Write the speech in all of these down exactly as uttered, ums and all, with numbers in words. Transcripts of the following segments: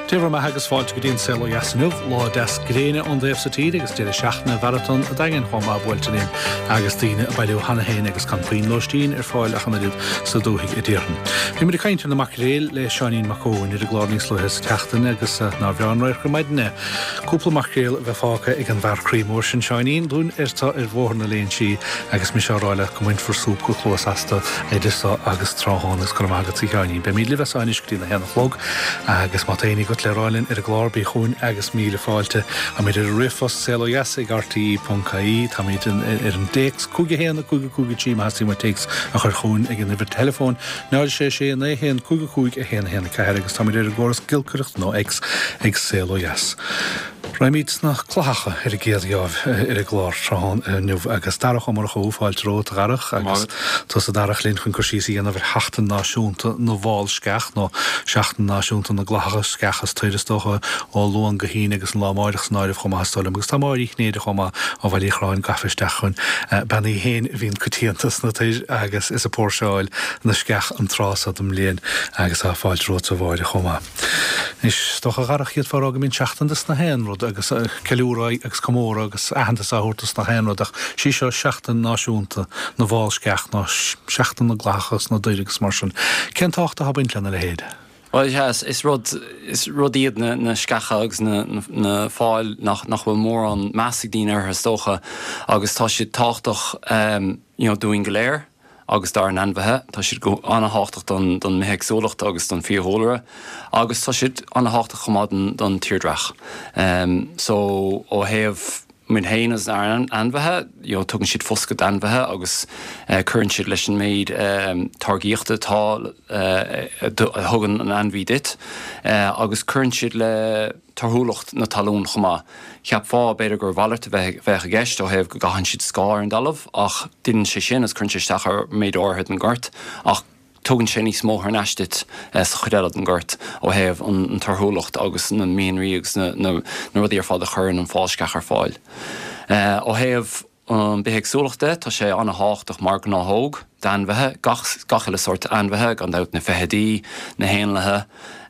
Dia bhur mbeatha agus fáilte go dtí an Saol Ó Dheas inniu, lá deas gréine ón dtaobh sa tír agus deireadh seachtaine mharatón an Daingin chomh maith buailte linn agus daoine ag bailiú cheana féin agus gan puinn lóistín ar fáil ach an oiread sa dúthaigh a déarfainn. Bhí muid ag caint ar na maicréil le Seáinín Mac Eoin ar an gclár níos luaithe sa tseachtain agus nár bhreá an radharc ar maidin é. Cúpla maicréal a bheith fágtha ag an bhfear croí mór sin Seáinín dúinn ar tá ar Bhóthar na Léinsí agus mise á rá leat go mbainfear súp go cluas astu idir seo agus tráthnóna agus go raibh maith agat a Sheáinín. Beimid libh as seo anois go dtí na haon a chlog agus má tá éinne agat le rá linn ar an gclár bí chugainn agus míle fáilte. Táimid ar an ríomhphost saol ó dheas ag RTE ponc ie, táimid ar an dtéacs cúig a haon a cúig a cúig a trí má theastaíonn uait téacs a chur chugainn ag an uimhir teileafóin náid sé sé naoi haon cúig a cúig a haon a haon a ceathair agus táimid ar an gcóras giolcaireachta nó X ag Saol Ó Dheas. Raghaimid sna clathacha ar an gcéad gheábh ar an gclár tráthnóna inniu agus Darach Ó Murchú, fáilte romhat a Dharach agus tusa Darach linn chun cur síos a dhéanamh ar Sheachtain Náisiúnta na bhFál Sceach nó Seachtain Náisiúnta na gClathacha Sceach is Toir is dócha ó Luan go hAoine agus an lá amáireach san áireamh chomh maith is dóigh liom agus tá Máire Uí Chinnéide chomh maith ó Bhaile Uí Chorráin gafa isteach chugainn. Bean í féin a bhíonn coitianta sna toir agus is ag póirseáil na sceach an tráth so den mbliain agus tá fáilte romhat a Mháire chomh maith. Anois, is dócha a Dharach d'fhéadfá a rá go mbíonn seachtain dos na haon rud agus ceiliúradh agus comóradh agus aitheantas á thabhairt dos na haon rud ach sí seo seachtain náisiúnta na bhfál sceach nó seachtain na gclathacha sna dtoir agus mar sin. Cén tábhacht atá ag baint lena leithéid? Bhuel, sea, is, is rud, is rud iad na, na sceacha agus na, na, na fáil nach, nach bhfuil mórán meas ag daoine orthu is dócha agus tá siad tábhachtach um, you know, dúinn go léir agus dár n-ainmhithe. Tá siad go an-tábhachtach don, don mbithéagsúlacht agus don fiadhúlra agus tá siad an-tábhachtach chomh maith don, don tírdhreach. Um, so ó thaobh muid féin agus ár n-ainmhithe, you know, tugann siad foscadh d'ainmhithe agus uh, cuireann siad leis an méid um, táirgíochta atá uh, a thugann an ainmhí duit uh, agus cuireann siad le torthúlacht na talún chomh maith. Cheapfá b'fhéidir gur mhalairt a bheith bheadh i gceist ó thaobh go gcaitheann siad scáth ar an dtalamh ach déanann sé sin is cuireann sé isteach ar méid áirithe den ghort ach tugann sé níos mó thar n-ais duit sa chuid eile den ghort ó thaobh an, an torthúlacht agus na mianraí agus na, na, na rudaí ar fad a chuireann an fál sceach ar fáil. Uh, ó thaobh an bithéagsúlacht de, tá sé an-tábhachtach mar gnáthóg d'ainmhithe, gach, gach uile sórt ainmhithe, gan dabht na feithidí, na héanlaithe,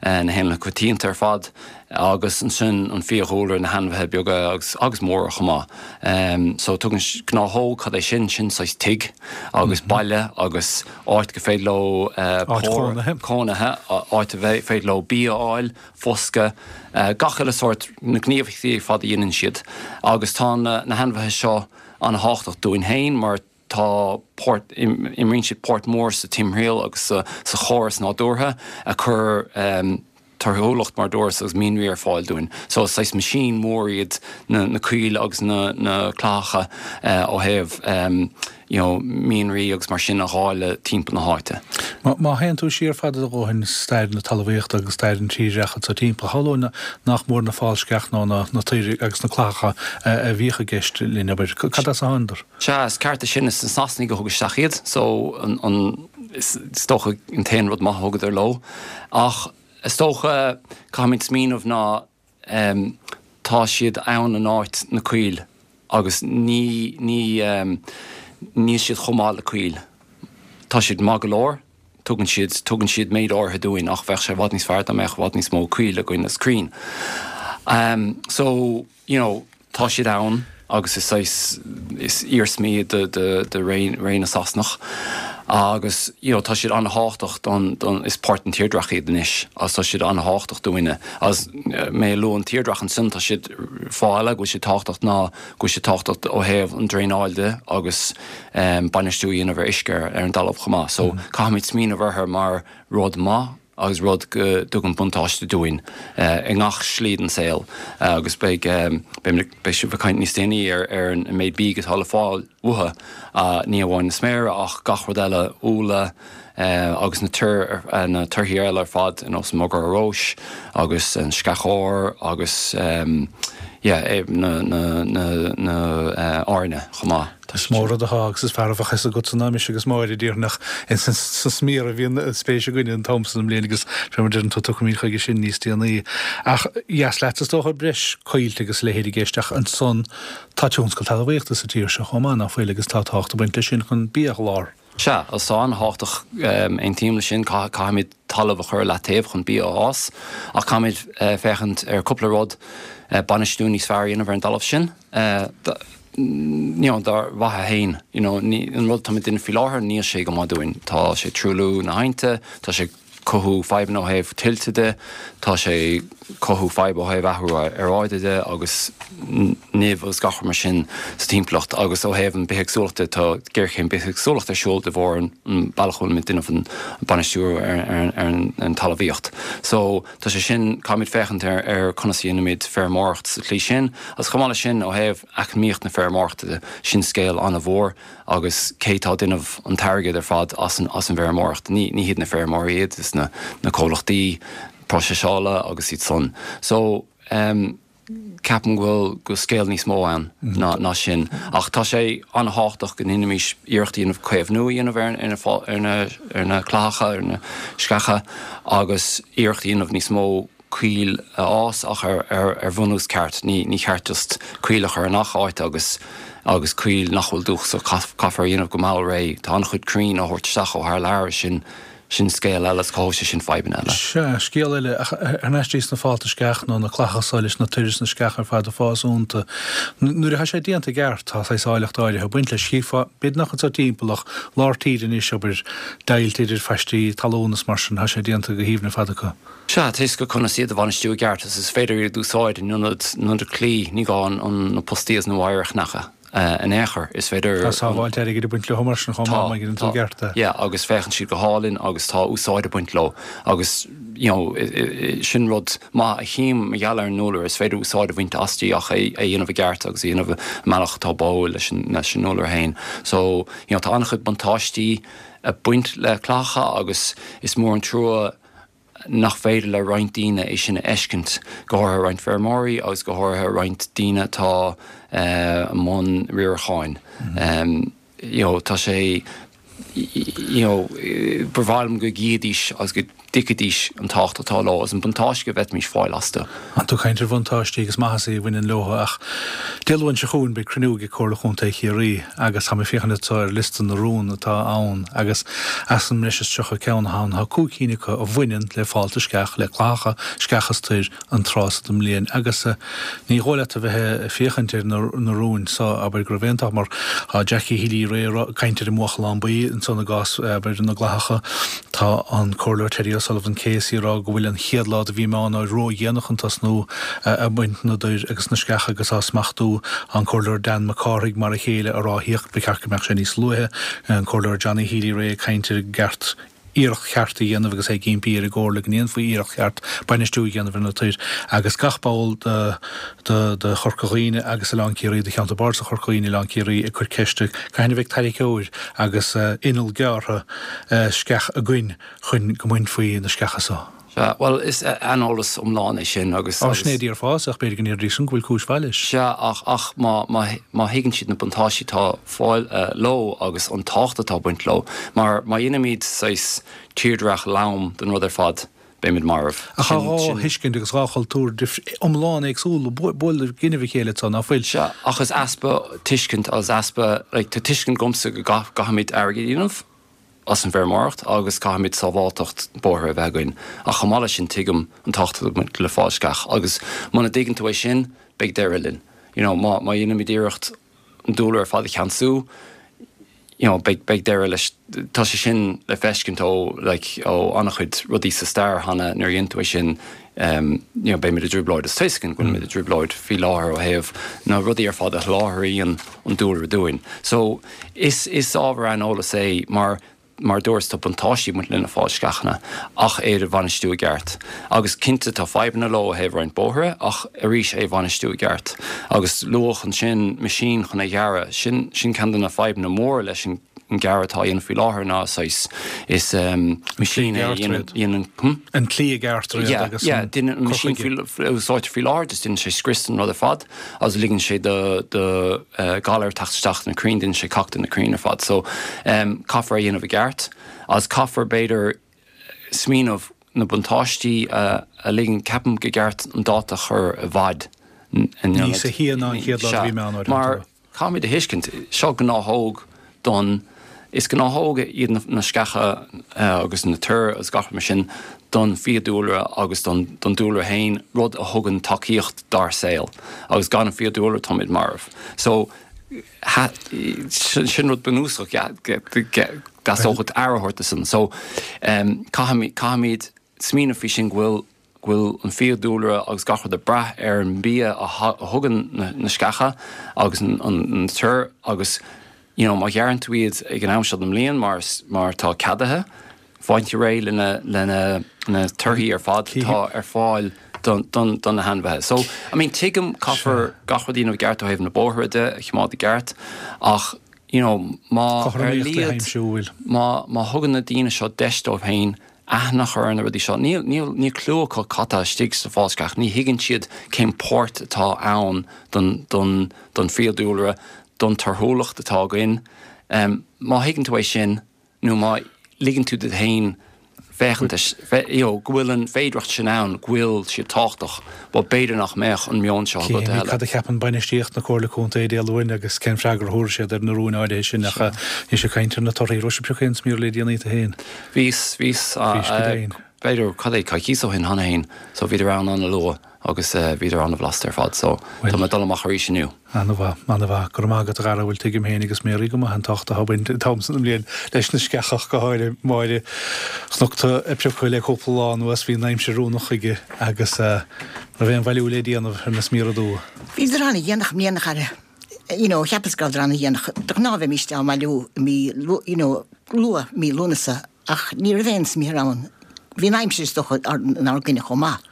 uh, na héanlaithe coitianta ar fad, agus ansin an fiadhúlra na hainmhithe beaga agus, agus móra chomh maith. Um, so tugann gnáthóg cad é sin sin saghas tigh agus mm -hmm. baile agus áit go féidir leo uh, Áit chónaithe. cónaithe, áit a bheith féidir leo bia a fháil, foscadh, uh, gach uile sórt na gníomhaíochtaí ar fad a dhéanann siad. Agus tá na, na hainmhithe seo an-tábhachtach dúinn féin mar tá páirt imríonn siad páirt mór sa timthriall agus sa, sa chóras nádúrtha a chur um, torthúlacht mar dúras agus mianraí ar fáil dúinn. So saghas machine mór iad na, na coill agus na, na clathacha uh, ó thaobh um, you know, mianraí agus mar sin a dháileadh timpeall na háite. Má, má théann tú siar fada a dhóthain stair na talmhaíochta agus stair an tírdhreacha sa timpeall, shamhlóinn nach mór na fál sceach nó na, na toir agus na clathacha a bhíodh i gceist linn abair. Cad as a thánadar? Sea, is ceart é sin is na Sasanaigh a thug isteach iad, so an, an, is, is dócha an t-aon rud maith a thugadar leo. Ach is dócha caithfimid smaoineamh ná um, tá siad ann in áit na coill agus ní ní um, níl siad chomh maith le coill. Tá siad maith go leor, tugann siad tugann siad méid áirithe dúinn ach bheadh sé i bhfad níos fearr dá mbeadh i bhfad níos mó coill againn is crainn. Um, so, you know, tá siad ann agus is is, is iarsmaí de, de, de ré, ré na Sasanach. Agus you know, tá siad an-tábhachtach don, don is páirt den tírdhreach iad anois agus tá siad an-tábhachtach dúinne. Agus mé ag lua an tírdhreach ansin tá siad fáile go bhfuil siad tábhachtach ná go bhfuil siad tábhachtach ó thaobh an draenáil de agus um, bainistiú a dhéanamh ar uisce ar an dtalamh chomh maith. So mm. caithfimid smaoineamh orthu mar rud maith agus rud go dtugann buntáiste dúinn uh, i ngach slí den saol uh, agus beidh um, beidh sibh ag caint níos déanaí ar ar an méid bídh atá le fáil uathu uh, ní amháin na sméara ach gach rud eile úlla uh, agus na tur uh, na torthaí eile ar fad ar nós mogar róis agus an sceach óir agus um, yeah, eh, na, na, na, na uh, airne chomh maith. Is mór rud atá agus is fearr a bheadh fhios agat ná mise agus Máire díreach sa smior a bhíonn spéis againn an t-am san mbliain agus fé mar deireann tú tiocfaimid chuige sin níos déanaí. Ach dheas leat is dócha breis coillte agus leithéid i gceist ach ansan tá tionscal talmhaíochta sa tír seo chomh maith nach bhfuil agus tá tábhacht ag baint leis sin chun bia a sholáthar. Sea, agus tá an-tábhachtach, aontaím leis sin, caithfimid talamh a chur i leataobh chun bia a fhás, ach caithfimid féachaint ar cúpla rud, bainistiú níos fearr a dhéanamh ar an dtalamh sin, you know, dár mhaithe féin. You know, an rud atáimid ag déanamh faoi láthair, níl sé go maith dúinn. Tá sé ag truailliú na haibhnte, tá sé cothú fadhbanna ó thaobh tuilte de, tá sé cothú fadhb ó thaobh athrú aeráide de agus nimh agus gach rud mar sin sa timpeallacht agus ó thaobh an bithéagsúlachta tá géarchéim bithéagsúlachta ar siúl de bharr an bealach a bhfuilimid ag déanamh an bainistiú ar an talmhaíocht. So tá sé sin, caithfimid féachaint ar ar conas a dhéanaimid feirmeoireacht sa tslí sin agus chomh maith leis sin ó thaobh eacnamaíocht na feirmeoireachta de, sin scéal an-mhór. Agus cé tá ag déanamh an t-airgead ar fad as an as an bhfeirmeoireacht? Ní ní hiad na feirmeoirí iad, is na na comhlachtaí próiseála agus iad san. So ehm ceapaim go bhfuil go bhfuil scéal níos mó ann ná ná sin. Ach tá sé an-thábhachtach go ndéanfaimis iarracht a dhéanamh caomhnú a dhéanamh ar ar na ar na ar na clathacha, ar na sceacha agus iarracht a dhéanamh níos mó coill a fhás ach ar ar bhunús ceart. Ní ní ceart just coill a chur i ngach áit agus agus coill nach bhfuil dúchasach caithfear a dhéanamh go mall réidh. Tá an-chuid crainn á thabhairt isteach ó thar lear sin sin scéal eile is cothóidh sé sin fadhbanna eile. Sea, scéal eile, ach thar n-ais sna fálta sceach nó na clathacha so leis na toir is na sceacha ar fad ag fás iontu. Nuair atá sé déanta i gceart, tá saghas áilleacht áirithe ag baint leis. Chífeá, b'fhéidir nach anso timpeall ach lár tíre anois, abair, deighilt idir phaistí talún is mar sin, tá sé déanta go haoibhinn ar fad acu. Sea, tá a fhios agat conas iad a bhainistiú i gceart agus is féidir iad a úsáid in ionad in ionad claí, ní gá an na postaí agus na wire a chnagadh in aon chor, is féidir. Tá sábháilt airgid ag baint leo mar sin chomh maith, má dhéanann tú i gceart é. Yeah, agus féachann siad go hálainn agus tá úsáid ag baint leo agus you know sin rud maith a chím mar gheall ar an ndúlra, is féidir úsáid a bhaint asti ach é a dhéanamh i gceart agus a dhéanamh i mbealach atá báúil leis an leis an ndúlra féin. So you know tá an-chuid buntáistí ag baint le clathacha agus is mór an trua nach féidir le roinnt daoine é sin a fheiscint, go háirithe roinnt feirmeoirí agus go háirithe roinnt daoine atá i mbun riaracháin. You know, tá sé, you know, ba mhaith liom go gcífidís agus go dtuigfidís an tábhacht atá leo agus an buntáiste go bhféadfaimis fáil astu. Tá tú ag caint ar bhuntáistí agus maitheasaí a bhaineann leo ach Dé Luain seo chugainn beidh cruinniú ag Comhairle Chontae Chiarraí agus tá mé ag féachaint anseo ar liosta na rún atá ann agus as an mbreis is tríocha ceann atá ann tá cúig cinn acu a bhaineann le fálta sceach, le clathacha, sceach is toir an tráth so den mbliain agus ní dhóigh leat a bheith ag féachaint ar na rúin so abair go raibh aon tá mar tá Jackie Healy-Rae ag caint ar an mbuachallán buí ansan i gcás abair na gclathacha. Tá an Comhairleoir Terry O'Sullivan KC ag rá go bhfuil an chéad lá de mhí Meán Fhómhair ródhéanach chun tosnú ag baint na dtoir agus na sceach agus á smachtú. An Comhairleoir Dan Mac Cárthaigh mar a chéile ag ráthaíocht ba cheart go mbeadh sé níos luaithe. An Comhairleoir Johnny Healy-Rae ag caint ar an gceart iarracht cheart a dhéanamh agus é ag impí ar an gComhairle go ndéanfaí iarracht cheart bainistiú a dhéanamh ar na toir agus gach ball de de Chorca Dhuibhne agus Oileán Ciarraí, de Cheantar Bardasach Chorca Dhuibhne, Oileán Ciarraí ag cur ceiste cathain a bheidh tarraiceoir agus inneall gearrtha sceach againn chun go mbainfí na sceacha so. Sea, bhuel, is aineolas iomlán é sin agus. Á, sin é a déarfása, ach b'fhéidir go ndéarfaidís sin go bhfuil cúis mhaith leis. Sea, ach, ach má, má, má thuigeann siad na buntáistí atá ag fáil leo agus an tábhacht atá ag baint leo, mar má dhéanaimid saghas tírdhreach lom den rud ar fad, beimid marbh. Ach tá dhá thuiscint agus dhá chultúr iomlán éagsúla ag bualadh i gcoinnibh a chéile anso, ná fuil? Sea, ach is easpa tuiscint agus easpa, like, tá tuiscint agamsa go gcaithfimid airgead a dhéanamh as an bhfeirmeoireacht agus caithfimid sábháilteacht bóithre a bheith againn, ach chomh maith leis sin tuigim an tábhacht atá ag baint le fál sceach agus muna dtuigeann tú é sin, beidh deireadh linn. You know, má, má dhéanaimid iarracht an dúlra ar fad a cheansú, you know, beidh, beidh deireadh leis. Tá sé sin le feiscint ó, like, ó an-chuid rudaí sa stair cheana, nuair a dhéanann tú é sin, um, you know, beimid i dtrioblóid. Is tá a fhios againn go bhfuilimid i dtrioblóid faoi láthair ó thaobh na rudaí ar fad a sholáthraíonn an dúlra dúinn. So, is, is ábhar aineolais é mar Mar a dúras, tá buntáistí ag baint le na fál sceachanna, ach iad a bhainistiú i gceart. Agus cinnte tá fadhbanna leo ó thaobh roinnt bóithre, ach arís é a bhainistiú i gceart. Agus luadh ansin meaisín chun é ghearradh. Sin, sin ceann de na fadhbanna móra leis an ngearradh atá á dhéanamh faoi láthair ná saghas, is meaisín é a dhéanann, hm? An tslí a ghearrtar iad agus an cur chuige. Yeah, yeah, an meaisín a úsáidtear faoi láthair, just déanann sé scrios den rud ar fad agus ligeann sé do, do ghalair teacht isteach sna crainn, déanann sé cac de na crainn ar fad. So, caithfear é a dhéanamh i gceart agus caithfear b'fhéidir smaoineamh na buntáistí a ligean, ceapaim go gceart an dáta a chur i bhfad in ionad. Níos sia ná an chéad lá de mhí Meán Fhómhair. Mar caithfimid a thuiscint, seo gnáthóg don Is gnáthóga iad na, na sceacha uh, agus na toir agus gach mar sin don fiadhúlra agus don, don dúlra féin rud a thugann tacaíocht dár saol agus gan an fiadhúlra táimid marbh. So ha, sin, sin rud bunúsach dóchad aire a thabhairt san. So um, caithfimid caithfimid smaoineamh faoi sin go bhfuil go bhfuil an fiadhúlra agus gach rud ag brath ar an bia a tha- a thugann na, na sceacha agus an, an, an toir agus you know, má ghearrann tú iad ag an am seo den mbliain mar, mar tá ceadaithe, faightear réidh lena lena na torthaí ar fad atá ar fáil don, don, don na hainmhithe. So I mean tuigim caithfear gach rud a dhéanamh i gceart ó thaobh na bóithre de a choimeád i gceart ach you know, má ar Cothromaíocht le laghad haimsiú bhfuil. má má thugann na daoine seo deis dóibh féin aithne a chur ar na rudaí seo níl níl níl clue acu cad tá istigh sa fhálsceach ní thuigeann siad cén páirt atá ann don don don fiadhúlra don torthúlacht atá againn. Um, má thuigeann tú é sin nó má ligeann tú duit féin féachaint you know, go bhfuil an féidearthacht sin ann go bhfuil siad tábhachtach, well b'fhéidir nach mbeadh an meon seo agat Céimí eile. cad a cheapann bainistíocht na Comhairle Contae Dé Luain agus cén freagra a thabharfaidh siad ar na rúin áirithe sin ach ní sé caint ar na torthaí raibh sibh ag piocadh aon smior le déanaí féin. Bhíos bhíos Bhís go deimhin. B'fhéidir cad é coicís ó shin cheana féin, so bhíodar ann an-luath agus uh, bhíodar an-bhlasta ar fad, so tá mé dul amach arís inniu. An-mhaith an-mhaith go raibh maith agat a Dhara bhfuil tuigim féin agus Mary go maith an tábhacht atá baint an t-am san bhliain leis na sceacha go háirithe Máire chonac tú ag piocadh le cúpla lá anuas bhí an aimsir oiriúnach chuige agus uh, raibh aon bhailiú le déanamh ar na smiora dubha. Bhíodar an-dhéanach i mbliana a you know, cheapas go raibh an-dhéanach de ghnáth bhímis á mbailiú mí you know, luath mí Lúnasa ach ní raibh aon smior ann. Bhí an aimsir is dócha inár gcoinne chomh maith.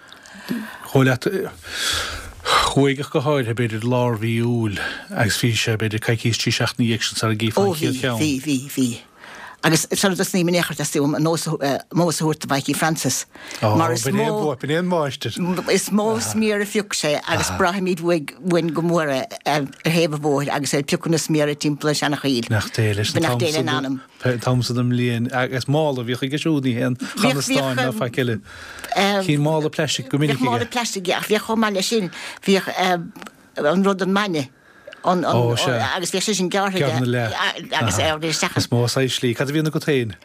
Chomh leat chuaigh go háirithe b'fhéidir lár mhí Iúil agus bhí sé b'fhéidir coicís trí seachtaine dhéag sin sara gcífeá Ó an bhí chéad cheann. bhí bhí bhí. Agus sar dus ní min échar um mós a thabhairt do Mhikey Francis. Ó, Mar is b'in é mó b'in é an máistir. is mó smior a phioc sé agus braithimid uainn go mór é ar thaobh an bhóthair agus é piocadh na smior timpeall an seanachoill. Nach dé leis Nach dé in anam. T-am san den mbliain agus mála bhíodh aige siúd ní haon chanastáin ná faic eile. Cín mála plastic go minic Bhíodh mála aige. plastic ach bhíodh chomh maith leis sin bhíodh an rud an maine. An, an, Ó, sea. agus bhíodh sé sin gearrtha Gearrtha na leath. agus é isteach Is mó slí, cad a bhíonn agat féin?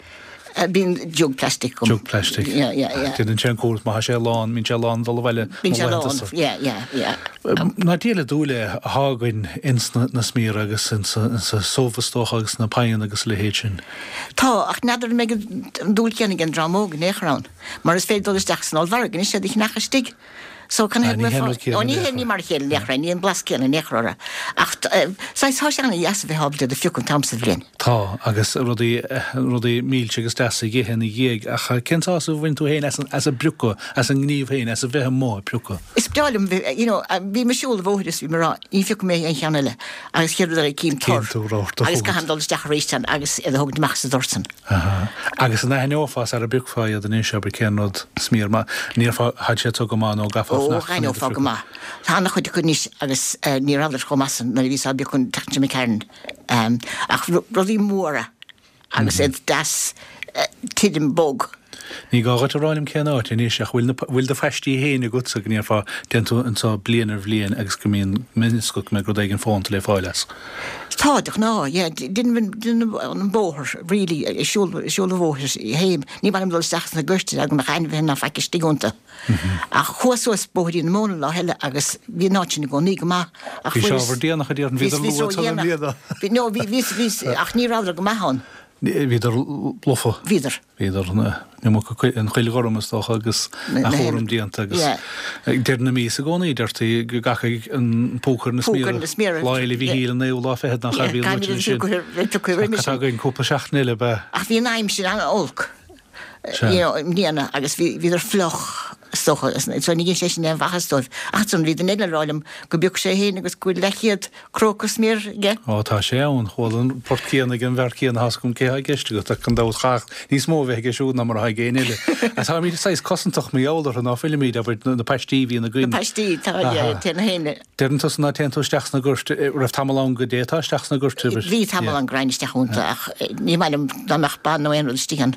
bíonn jug plastic agam. Jug plastic. Yeah, yeah, yeah. Déanann sé an cúras má sé lán, bíonn sé lán dul abhaile. Bíonn sé lán, yeah, yeah, yeah. Ná díle dúile a thagann ins na, na smior agus ins sa subh is dócha agus na pain agus le leithéid sin. Tá ach n'fheadar an mbeidh an dúil chéanna ag an dream óg in aon chor ann, mar is féidir dul isteach san ollmhargadh anois iad a cheannach istigh. So can Ah, ní hé an rud céanna Ó ní in hé aon ní chor. mar a chéile in aon chor, ní an blas céanna in aon chor orthu. Ach saghas tá sé an-dheas a bheith ábalta iad a phiocadh an t-am sa bhliain. Tá agus rudaí rudaí milse agus deasa ag ithe ina dhiaidh ach cén sásamh a bhain tú féin as an as an bpiocadh as an ngníomh féin as a bheith amuigh ag piocadh. Is breá liom bheith- you know, bhí mé ag siúl an bhóthair is bhí mé ag rá ní phiocfaidh mé aon cheann eile agus chéad rud eile cím Cím tor tú rabhadh do agus chugat. caithim dul isteach arís ann agus iad a thógaint amach sa dtoir san. Aha. Agus an aithneofá sara bpiocfá iad anois abair cén rud smior ma níor had sé go maith nó gafá Ó d'aithneofá go maith. Tá an-chuid acu anois agus eh, ní rabhadar chomh maith san nuair a bhíos á bpiocadh an tseachtain seo caite. Um, ach ru- rudaí móra agus iad deas eh, tirim bog. Ní gá duit a rá liom cén áit anois ach bhfuil na- bhfuil do phaistí féin agatsa go ndéarfá déan tú anseo bliain ar bhliain agus go mbíonn minisco go mbeidh rud éigin fónta le fáil as. Tá de ná din an bóthar really siúl siúl an bhóthair héim ní bhain dul isteach sna goirte go mbeadh ainmhithe ná faic istigh iontu. Ach chuas suas Bóithrín na Móna lá eile agus bhí an áit sin i gcónaí go maith ach Bhí fuaireas- sé ábhar déanach a dhéanamh, bhíodar Bhí- bhí luath so san dhéanach. mbliana. Bhí- No bhí bhí bhí ach ní rabhadar go maith ann. Bhíodar lofa. Bhíodar. Bhíodar an chuil ghorm is dócha agus Na- a na chúram hen- déanta agus Yeah. deireadh na míosa i gcónaí deirtí go gcaithfidh an púca na Púca na smior. Lá Fhéile Mhichíl an naoú lá fichead nach Yeah, bhí caithfidh siad piocadh roimhe sin. againn cúpla seachtain eile be. Ach bhí an aimsir an-olc. Sea. You know, i mbliana agus bhí bhíodar fliuch socha so ní sé sin aon mhaitheas dóibh. Ach san bhí duine eile ag rá liom go bpioc sé féin agus go bhfuil leathchéad cróc smior aige. Ó tá sé ann chuala an port céanna ag an bhfear céanna has gom cé gceiste go an dabht chaach níos mó bheith aige siúd ná mar atá ag éinne eile. A tá míad saghas cosantach mar gheall orthu ná fuilimid abair na paistí bhí na Na gcuin. paistí tá Aha. téna héine. Deireann tusa ná téann tú isteach sna goirt raibh tamall ann go dtéifeá isteach sna goirt. Bhí tamall ann go raghainn isteach iontu ach eh, ní maith liom dá mbeadh ba nó aon rud istigh ann.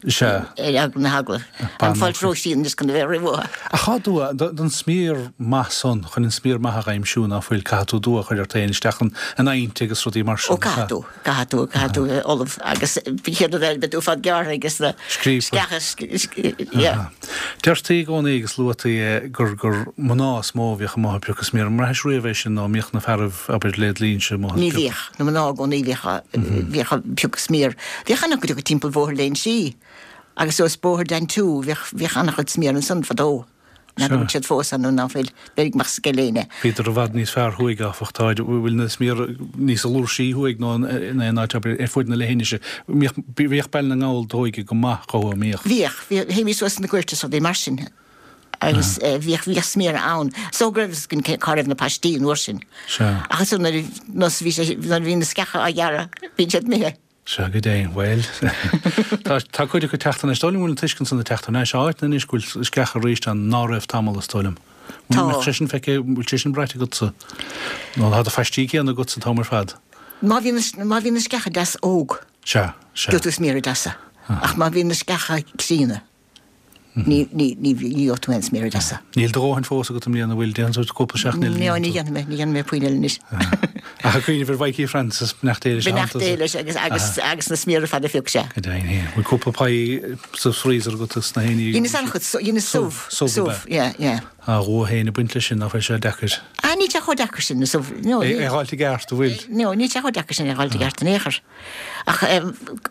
Sea. Ar eagla na heagla. An fáilt róisín anois chun a bheith roimh uathu. Ach tá dua, don smior maith san, chun an smior maith a aimsiú ná fuil, caithfidh tú dua a chur ort féin isteach in aibhnte agus rudaí mar sin. Ó caithfidh tú, caithfidh tú, caithfidh tú bheith ullamh agus bhí chéad rud eile, beidh tú fad gearrtha agus na sceacha, yeah. Deirtí i gcónaí agus luaití é gur gur mná is mó a bhíodh amuigh ag piocadh smior. An mbraithis riamh é sin nó an mbíodh na fearaibh, abair, led linnse amuigh ag Ní piocadh? bhíodh, na mná i gcónaí bhíodh, bhíodh ag piocadh smior. Bhíodh an-chuid acu timpeall Bhóthar Léinsí agus suas Bóthar Dan Two, bhíodh, bhíodh an-chuid smior ansan fadó. N'fheadar an bhfuil siad fós ann nó ná fuil, b'fhéidir go mbeadh sceil éinne. Bhíodar i bhfad níos fearr thuaidh, áfach. Tá, bhfuil na smior níos fluinsí thuaidh ná in aon áit, abair, ar fuaid na leithinise. Bhíodh, bhíodh Baile na nGall tóigthe go maith chucu, an mbíodh? Bhíodh, bhíodh, théimís suas sna goirt is rudaí mar sin agus bhíodh, bhíodh smior ann. So go raibh fhios againn cé, cá raibh na paistí an uair sin. Sea. Ach ansan nuair a, nós a bhí sé, nuair a bhí na sceacha á ghearradh, bíonn siad imithe. Sea, go deimhin. Bhuel, tá, tá cuid acu ag teacht thar n-ais. Is dóigh liom go bhfuil an tuiscint san ag teacht thar n-ais. Áit anois go bhfuil sceacha arís ann ná raibh tamall, is dóigh liom. Tá. Bhfuil sé sin feicthe, bhfuil sé sin braite agatsa? Nó tá do phaistí céanna agatsa an t-am ar fad? Má bhíonn na, má bhíonn na sceacha deas óg. Sea, sea. Gheobhaidh tú smior deasa. Ach má bhíonn na sceacha críonna. Ní, ní, ní, ní gheobhaidh tú aon smior deasa. Níl do dhóthain fós agat i mbliana, an bhfuil? Déanann tú cúpla seachtain eile. No, ní dhéanfaidh mé, ní dhéanfaidh mé puinn eile anois. Ach ag cuimhneamh ar Mhikey Francis, beannacht Dé leis. Beannacht Dé leis agus, agus, agus na smior ar fad a phioc sé. Go deimhin féin. Bhfuil cúpla pie sa freezer agat is na héinní? Dheineas an-chuid, dheineas subh. Subh, subh, yeah, yeah. A dhua féin ag baint leis sin, nach bhfuil sé deacair? Ah, níl sé chomh deacair sin, na subh, no. É a dh'fháilt i gceart, an bhfuil? No, níl sé chomh deacair sin é a dh'fháilt i gceart in aon chor. Ach,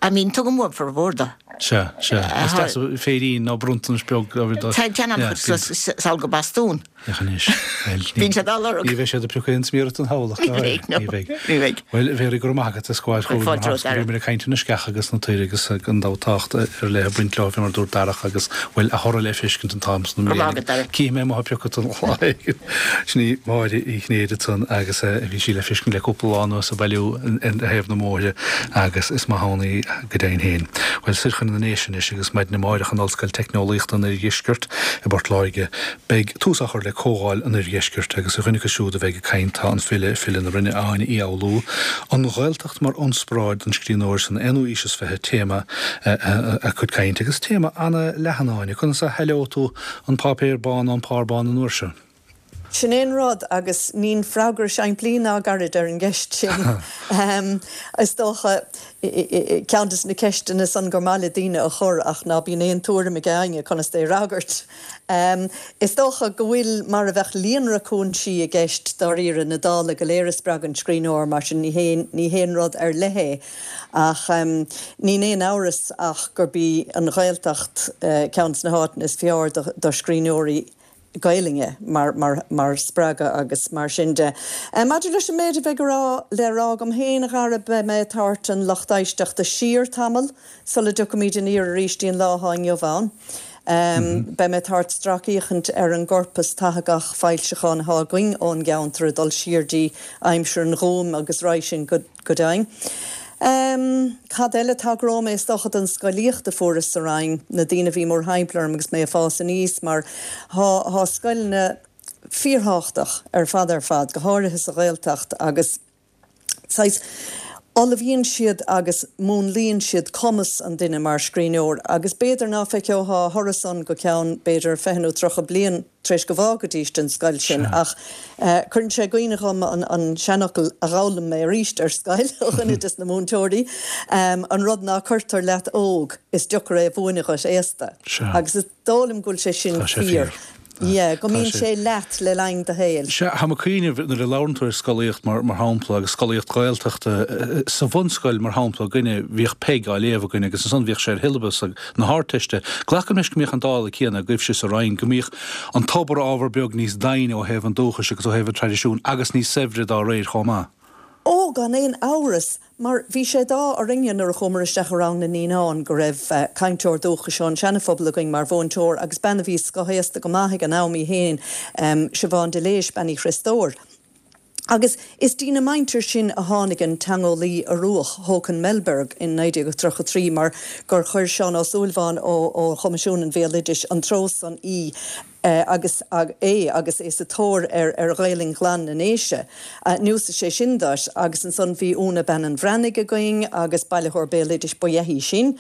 I mean, tugaim uaim formhór dó. Sea, sea. Is deas féirín nó bronntanas beag a bheith do. Tá an-chuid suas sall go Bastún. Féach anois. Bhuel, ní. Bíonn siad á lorg. Ní bheidh siad ag piocadh aon smior don tsamhlacht, Ní bheidh, no. Ní bheidh. Ní bheidh. Bhuel, a Mhéaraí, go raibh maith agat as gabháil chugainn Fáilte mar romhat, Dara. bhíomar ag caint ar na sceacha agus na toir agus an tábhacht ar leith ag baint leo, fé mar a dúirt Darach, agus bhuel, a thoradh le feiscint an t-am san Go raibh maith agat, Dara. Cífidh mé amuigh ag piocadh don lá éigin. Sin í Máire Uí Chinnéide ansan agus bhí sí le feiscint le cúpla lá anuas ag bailiú ar thaobh na mbóithre agus is maith ann í go deimhin féin. Bhuel, soir chun na nDéise anois agus maidin amárach in Ollscoil Teicneolaíochta an Oirdheiscirt i bPort Láirge beidh tús á chur le Comhdháil an Oirdheiscirt agus ar dhuine acu siúd a bheidh ag caint tá an file, file na Rinne, Áine Uí Fhoghlú. An Ghaeltacht mar ionspráid don scríbhneoir san aonú aois is fiche téama a cuid cainte agus téama ana-leathan Áine. Conas a shaileodh tú an páipéar bán ón phár bán an uair seo? Sin é an rud, agus níl freagra simplí ná gairid ar an gceist sin. Is dócha, ceann de na ceisteanna san gur maith le daoine a chur ach ná bíonn aon tuairim ag éinne conas é a fhreagairt. Is dócha go bhfuil mar a bheadh líonra cúinsí i gceist dáiríre, na dála go léir a spreagann scríbhneoir, mar sin ní haon ní haon rud ar leith é. Ach níl aon amhras ach gurb í an Ghaeltacht ceann de na háiteanna is fearr do scríbhneoirí Gaelainne mar, mar, mar spreagadh agus mar sin de. Maidir leis an méid a bheidh a rá, le rá agam féin, a Dhara, beidh mé ag tabhairt an lucht éisteachta siar tamall sula dtiocfaimid aniar arís dtí'n lá atá inniu ann. Beidh mé ag tabhairt stracfhéachaint ar an gcorpas tathagach foilseachán atá againn ón gceantar ag dul siar dtí aimsir an Ghúim agus roimhe sin go, go deimhin. Cad eile? Tagróidh mé, is dócha, don scolaíocht a fuaireas sa Rinn, na daoine a bhí mórthimpeall orm agus mé ag fás aníos, mar thá, thá scoileanna fíorthábhachtach ar fad ar fad, go háirithe sa Ghaeltacht agus saghas, ullmhaíonn siad agus múnlaíonn siad cumas an duine mar scríbhneoir agus b'fhéidir ná feiceofá a thoradh san go ceann, b'fhéidir, fiche nó tríocha bliain tar éis go bhfágfaidís an scoil sin ach cuireann sé i gcuimhne dhom an an seanfhocal a dh'fhoghlaim mé arís ar scoil ó dhuine des na múinteoirí, an rud ná cuirtear leat óg is deocair é a mhúineadh dhuit aosta. Agus is dóigh liom go bhfuil sé sin fíor. Yeah, go mbíonn sé leat le linn do shaoil. Sea, táim ag cuimhneamh nuair a labhrann tú ar scolaíocht mar mar shampla agus scolaíocht Ghaeltachta, sa bhunscoil mar shampla againne bhíodh Peig á léamh againn agus ansan bhíodh sé ar shiollabas na hArdteiste. Glacaim leis go mbíodh an dála céanna agaibhse sa Rinn, go mbíodh an tobar ábhar beag níos doimhne ó thaobh an dúchais agus ó thaobh an traidisiúin agus níos saibhre dá réir chomh maith. Ó, gan aon amhras, mar bhí sé d'ádh orainne nuair a chuamar isteach i rang na naíonán go raibh cainteoir dúchais ón Seana-Phobal againn mar mhúinteoir agus bean a bhí scothaosta go maith ag an am í féin, Siobhán de Léis, Bean Uí Chriostóir. Agus is dína muintir sin a tháinig an teangeolaí Ioruach Håkan Melberg in naoi déag tríocha a trí mar gur chuir Seán Ó Súilleabháin ó Choimisiún an Bhéaloidis an treo san í. agus é agus é sa tóir ar ar Ghaelainn ghlan na nDéise. Anuas sé sin duit agus ansan bhí Úna Bean an Bhreathnaigh againn agus bailitheoir béaloidis ba ea í sin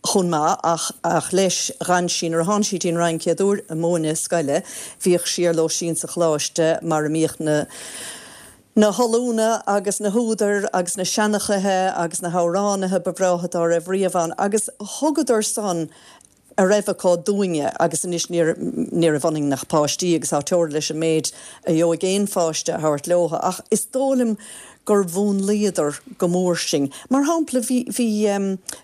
chomh maith ach ach leis gan sí nuair a tháinig sí dtí'n Rinn chéad uair ag múineadh scoile, bhíodh sí ar lóistín sa choláiste mar a mbíodh na na hollúna agus na húdair agus na seanchaithe agus na hamhránaithe ba bhreátha dá raibh riamh ann agus thugadar san a raibh acu dúinne agus anois ní ní raibh ionainn ach páistí agus tá teora leis an méid a gheobhaidh aon pháiste a thabhairt leo ach is dóigh liom gur mhúnlaíodar go mór sinn. Mar shampla bhí bhí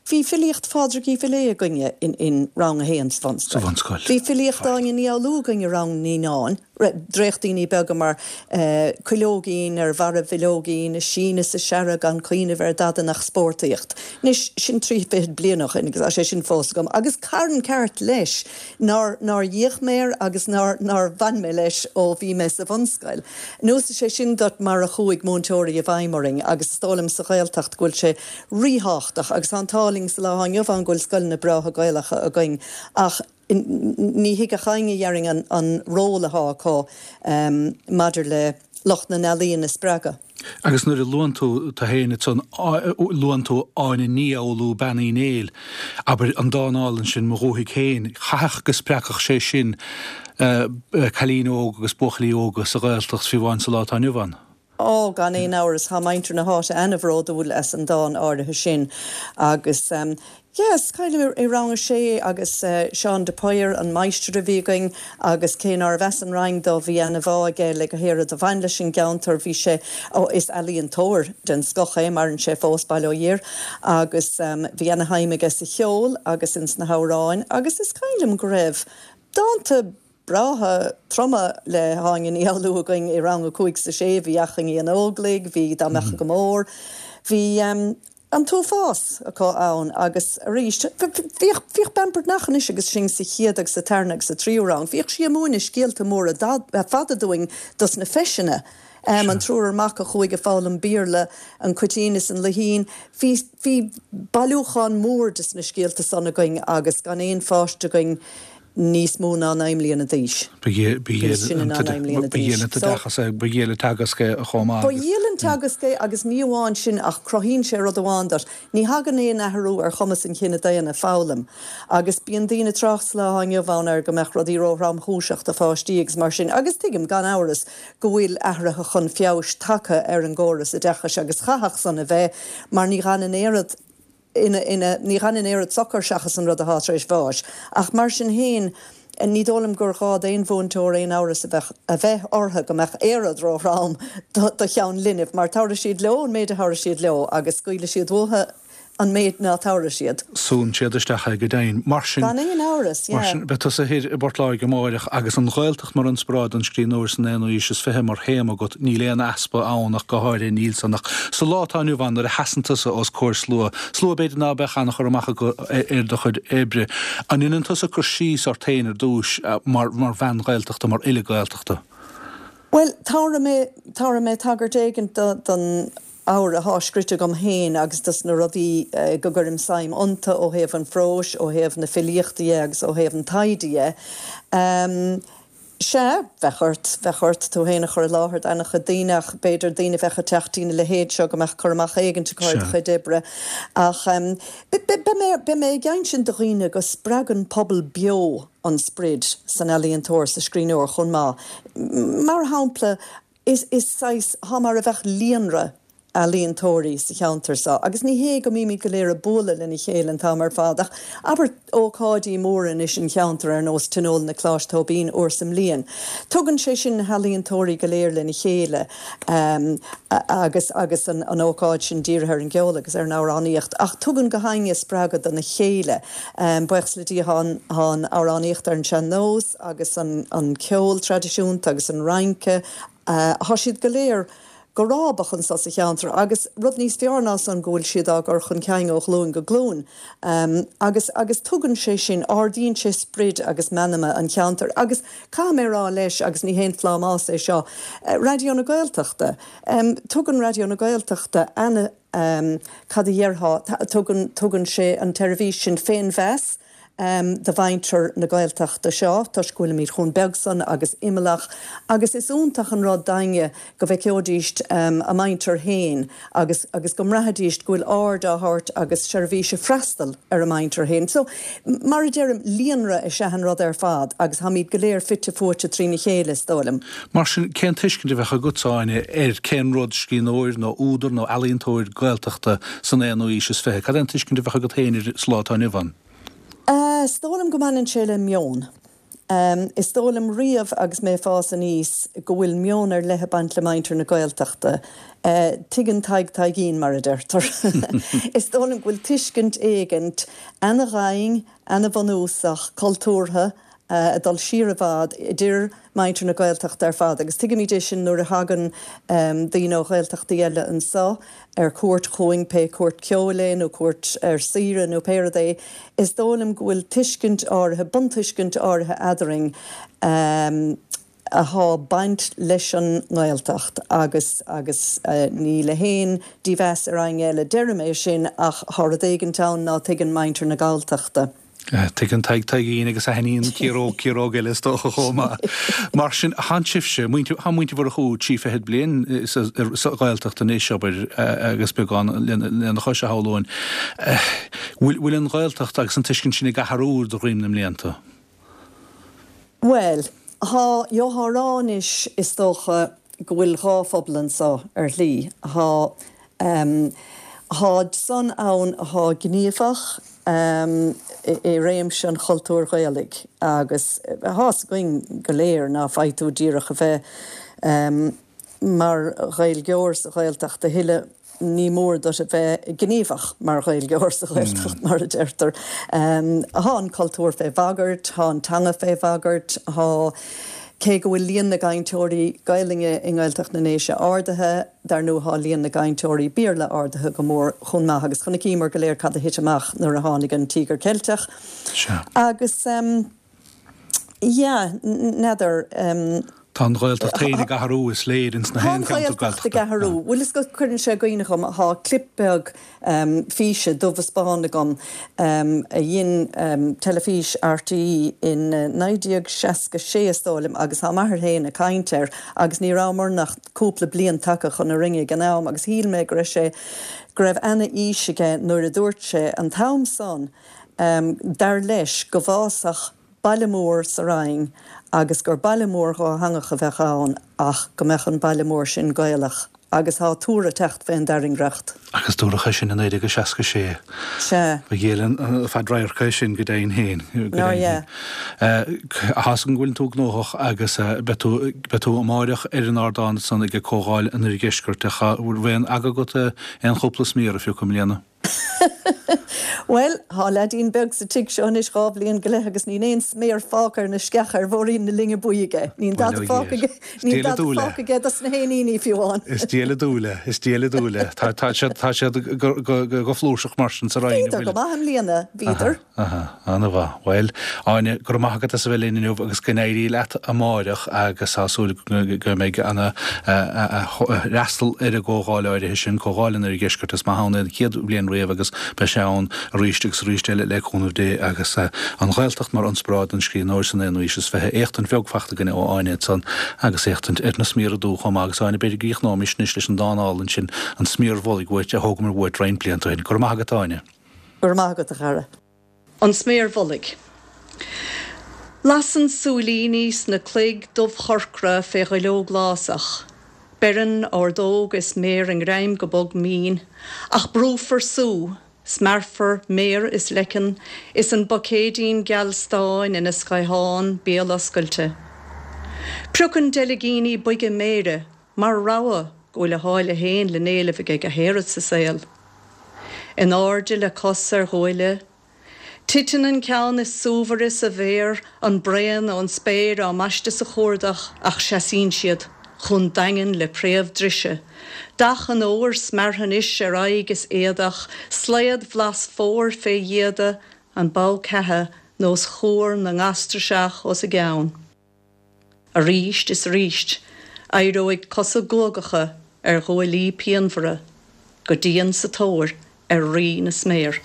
bhí filíocht Phádraig Uí Mhiléadh againne in in rang a haon sa bhunscoil. Sa bhunscoil. Bhí filíocht Áine Ní Fhoghlú againn i rang naíonáin. Dréachtaíní beaga mar Cuileoigín ar bharra bhileoigín, ag síneadh is ag searradh gan cuimhneamh ar dada nach spórtaíocht. Anois, sin trí fichid bliain ó shin agus tá sé sin fós agam. Agus carn ceart leis nár nár fhéach mé air agus nár nár bhain mé leis ó bhí mé sa bhunscoil. Anuas sé sin duit mar a chuaigh múinteoirí i bhfeidhm orainn agus is dóigh liom sa Ghaeltacht go bhfuil sé ríthábhachtach agus tá an t-ádh linn sa lá atá inniu ann go bhfuil scoileanna breátha Gaelacha againn ach ní thig ach éinne dhéarfainn an ról atá acu maidir le lucht na n-ealaíon a spreagadh. Agus nuair a luann tú tú féin ansan, luann tú Áine Ní Fhoghlú, Bean Uí Néill, abair, an dán álainn sin, Mo Dhúthaigh Féin, chaithfeadh go spreagfadh sé sin cailíní óga agus buachaillí óga sa Ghaeltacht, fiú amháin sa lá atá inniu ann. Ó, gan aon amhras, tá muintir na háite ana-bhródúil as an dán áirithe sin agus yeah, is cuimhin liom i rang a sé agus Seán de Paor an máistir a bhí againn agus cé nárbh as an Rinn dó bhí ana-bhá aige le gach aon rud a bhain leis an gceantar, bhí sé, ó, is ealaíontóir den scoth é, maireann sé fós, bail ó Dhia air, agus bhí ana-shuim aige sa cheol agus ins na hamhráin agus is cuimhin liom go raibh dánta breátha troma le hÁine Ní Fhoghlú againn i rang a cúig 's a sé, bhí Achainí an Óglaigh, bhí Dá mBeadh go Mór, bhí an t-uafás acu ann agus arís, bhíodh, bhíodh Bean Breathnach anois agus sinn sa chéad agus sa tarna agus sa tríú rang, bhíodh sí ag múineadh scéalta móra fada dúinn dos na feiseanna, an triúr mac a chuaigh ag foghlaim Béarla, an Cuitín is an Luichín, bhí, bhí bailiúchán mór des na scéalta san againn agus gan aon pháiste againn níos mó ná naoi mbliana d'aois. Ba dhiail an t-oideachas é, ba dhiail an teagasc é chomh maith. Ba dhiail an teagasc é agus ní amháin sin ach cruthaíonn sé rud amháin duit, ní thagann aon athrú ar chumas an chine daonna foghlaim agus bíonn daoine ag trácht sa lá atá inniu ann ar go mbeadh rudaí ró-thromchúiseach do pháistí agus mar sin agus tuigim gan amhras go bhfuil athruithe chun feabhais tagtha ar an gcóras oideachais agus chaithfeadh san a bheith mar ní dh'fhanann aon rud ina, ina, ní dh'fhanann aon rud socair seachas an rud athá tar éis bháis. Ach mar sin féin, ní dóigh liom gur ghá d'aon mhúinteoir aon amhras a bheith, a bheith orthu go mbeadh aon rud ró-throm do, do cheann linbh, mar tabharfaidh siad leo an méid a thabharfaidh siad leo agus scaoilfidh siad uathu an méid ná tabharfaidh siad. Súnn siad isteach é go deimhin. Mar sin. Gan aon amhras, yeah. Mar sin, beidh tusa thoir i bPort Láirge amáireach agus an Ghaeltacht mar inspioráid don scríbhneoir san aonú haois is fiche mar théama agat, níl aon easpa ann ach go háirithe, níl san ach sa lá atá inniu ann nuair a sheasann tusa os comhair slua, slua b'fhéidir ná beadh an-chur amach acu ar do chuid oibre, an ndéanann tusa cur síos ort féin ar dtúis mar mar bhean Ghaeltachta, mar fhile Gaeltachta? Bhuel, tabharfaidh mé, tabharfaidh mé tagairt éigin don ábhar athá scrite agam féin agus dos na rudaí go gcuirim suim iontu ó thaobh an phróis, ó thaobh na filíochta dhe agus ó thaobh an taighde dhe. Sea, bheadh ort, bheadh ort tú féin a chur i láthair d'ana-chuid daoine ach b'fhéidir daoine a bheadh ag teacht dtína leithéid seo go mbeadh cur amach éigint acu ar do chuid oibre. Ach beidh mé, beidh mé ag insint do dhaoine go spreagann pobal beo an sprid san ealaíontóir, sa scríbhneoir chomh maith. Mar shampla, Is is saghas, thá mar a bheadh líonra ealaíontóirí sa cheantar seo agus ní hé go mbímid go léir ag bualadh lena chéile an t-am ar fad ach abair ócáidí móra anois an cheantair ar nós Tionól na Coláiste Tóibín uair sa mbliain. Tugann sé sin na healaíontóirí go léir lena chéile agus agus an an ócáid sin dírithe ar an gceol agus ar an amhránaíocht ach tugann gach éinne spreagadh dona chéile. Buíochas le Dia thá an thá an amhránaíocht ar an sean-nós agus an an ceol traidisiúnta agus an rince Thá siad go léir go rábach anso sa cheantar agus rud níos fearr ná san go bhfuil siad á gcur chun cinn ó ghlúin go glúin. Agus, agus tugann sé sin, ardaíonn sé sprid agus meanma an cheantair. Agus caithfidh mé a rá leis, agus ní haon phlámás é seo, Raidió na Gaeltachta, tugann Raidió na Gaeltachta ana, cad a dhéarfá, tugann, tugann sé an tseirbhís sin féinmheas, do mhuintir na Gaeltachta seo, toisc go bhfuilimid chomh beag san agus imeallach, agus is iontach an rud d'éinne go bhfeicfidís a muintir féin agus agus go mbraithfidís go bhfuil aird á thabhairt agus seirbhís ag freastal ar a muintir féin. So, mar a deirim, líonra is ea an rud ar fad agus táimid go léir fite fuaite trína chéile, is dóigh liom. Mar sin, cén tuiscint a bheadh agatsa, Áine, ar cén rud scríbhneoir nó údar nó ealaíontóir Gaeltachta san aonú haois is fiche? Cad é an tuiscint a bheadh agat féin air sa lá atá inniu ann? Is dóigh liom go mbaineann sé le meon. Is dóigh liom riamh agus mé ag fás aníos go bhfuil meon ar leith ag baint le muintir na Gaeltachta. Tuigeann Tadhg Taidhgín, mar a deirtear. Is dóigh liom go bhfuil tuiscint éigint ana-dhaingean, ana-bhunúsach, cultúrtha, ag dul siar i bhfad idir muintir na Gaeltachta ar fad agus tuigimid é sin nuair a thagann daoine ó Ghaeltachtaí eile anseo ar cuairt chugainn, pé cuairt ceoil é nó cuairt ar saoire nó pé rud é. Is dóigh liom go bhfuil tuiscint áirithe, buntuiscint áirithe eadrainn athá baint leis an nGaeltacht agus agus ní le haon dímheas ar éinne eile deirim é sin ach thá rud éigint ann ná tuigeann muintir na Galltachta. Tuigeann Tadhg Taidhgín agus aithníonn ciaróg ciaróg eile is dócha chomh maith. Mar sin, thánn sibhse, muintir, thá muintir Mhurchú trí fichid bliain sa Ghaeltacht anois, abair, agus beagán lena chois a shamhlóinn. Bhfuil, bhfuil an Ghaeltacht agus an tuiscint sin ag athrú de dhroim na mblianta? Bhuel, thá, gheofá a rá anois is dócha go bhfuil dhá phobal anso ar shlí. Thá, tháid san ann athá gníomhach i réimse an chultúir Ghaelaigh agus thá's againn go léir ná faighidh tú díreach a bheith mar Ghaeilgeoir sa Ghaeltacht a thuilleadh, ní mór duit a bheith gníomhach mar Ghaeilgeoir sa Ghaeltacht, mar a deirtear. Thá an cultúr fé bhagairt, thá an teanga fé bhagairt, thá, cé go bhfuil líon na gcainteoirí Gaelainne i nGaeltacht na nDéise ardaithe, dar ndóigh thá líon na gcainteoirí Béarla ardaithe go mór chomh maith agus chonaiceamar go léir cad a thit amach nuair a tháinig an Tíogar Ceilteach. Agus yeah, n'fheadar. Tá an Ghaeltacht féin ag athrú, is léir, ins na Tá an haon cheantar Ghaeltacht ag Gaeltachta. athrú. Bhuel is go cuireann sé i gcuimhne dhom, thá clip beag físe dubh is bán agam a dhein teilifís RTÉ in naoi déag seasca sé is dóigh liom agus thá m'athair féin ag caint air agus ní rabhamar ach cúpla bliain tagtha chun na Rinne ag an am agus shíl mé go raibh sé, go raibh ana-aois aige nuair a dúirt sé an t-am san dar leis go bhfásfadh baile mór sa Rinn agus gur baile mór dhátheangach a bheadh ann ach go mbeadh an baile mór sin Gaelach agus thá tuar ag teacht fén dtairngreacht. Agus dúradh é sin i naoi déag a seasca sé. Sea. Ba ghéire an fadradharc é sin go deimhin féin. Nár ea. Thá's agam go bhfuileann tú gnóthach agus beidh tú, beidh tú amáireach ar an ardán san ag Comhdháil an Oirdheiscirt. Ach bhfuil aon aga agat aon chúpla smior a phiocadh i mbliana? Bhuel, thá leaidín beag sa tigh seo anois dhá bhliain go leith agus níl aon sméar fágtha ar na sceacha ar bhóithrín na Linne Buí aige. Níl dada fágtha aige, níl dada fágtha aige dos na héiníní fiú amháin. Is diail an dúil é, is diail an dúil é. Tá, tá siad, tá siad go, go, go flúirseach mar sin sa Rinn, an Bhíodar bhfuil? go maith i mbliana, bhíodar. Aha, ana-mhaith. Bhuel, Áine, go raibh maith agat as a bheith linn inniu agus go n-éirí leat amáireach agus tá súil go mbeidh ana fhreastal ar an gcomhdháil áirithe sin, Comhdháil an Oirdheiscirt. Is maith ann é an chéad bhliain riamh agus beidh sé ann arís agus arís eile le cúnamh Dé agus an Ghaeltacht mar ionspráid don scríbhneoir san aonú haois is fiche. Éachtaint bheag fachta againne ó Áine ansan agus éachtaint ar na smiora dubha chomh maith agus Áine, b'fhéidir go gcríochnóimis anois leis an dán álainn sin, An Smior Mhullaigh uait, a thógamar uait roinnt blianta ó shin. Go raibh maith agat, Áine. Go raibh maith agat, a chara. An sméar mhullaigh. Lasann súilíní sna cloig dubhchorcra fé dhuilleog lásach. Beireann ordóg is méar a ngreim go bog mín, ach brúfar sú, smearfar méar is leiceann, is an buicéidín geal stáin ina scaothán béaloscailte. Priocann deilgíní boige méire mar rabhadh go bhfuil a sháile féin le n-éileamh aige go háirid sa saol. In airde le cos ar ghuaille, titeann an ceann is súmhaire sa bhféar, an braon ón spéir á mbaisteadh sa chuardach ach seasaíonn siad chomh daingean le préamh drise. Dath an fhómhair smeartha anois ar aghaidh is éadach, slaod bhlas fómhair fé dhíoda, an bogha ceatha nós cuar na ngastarseach os a gcionn. Arís is arís, éireoidh cosa guagacha ar ghuaillí pianmhara, go dian sa tóir ar Rí na Sméar.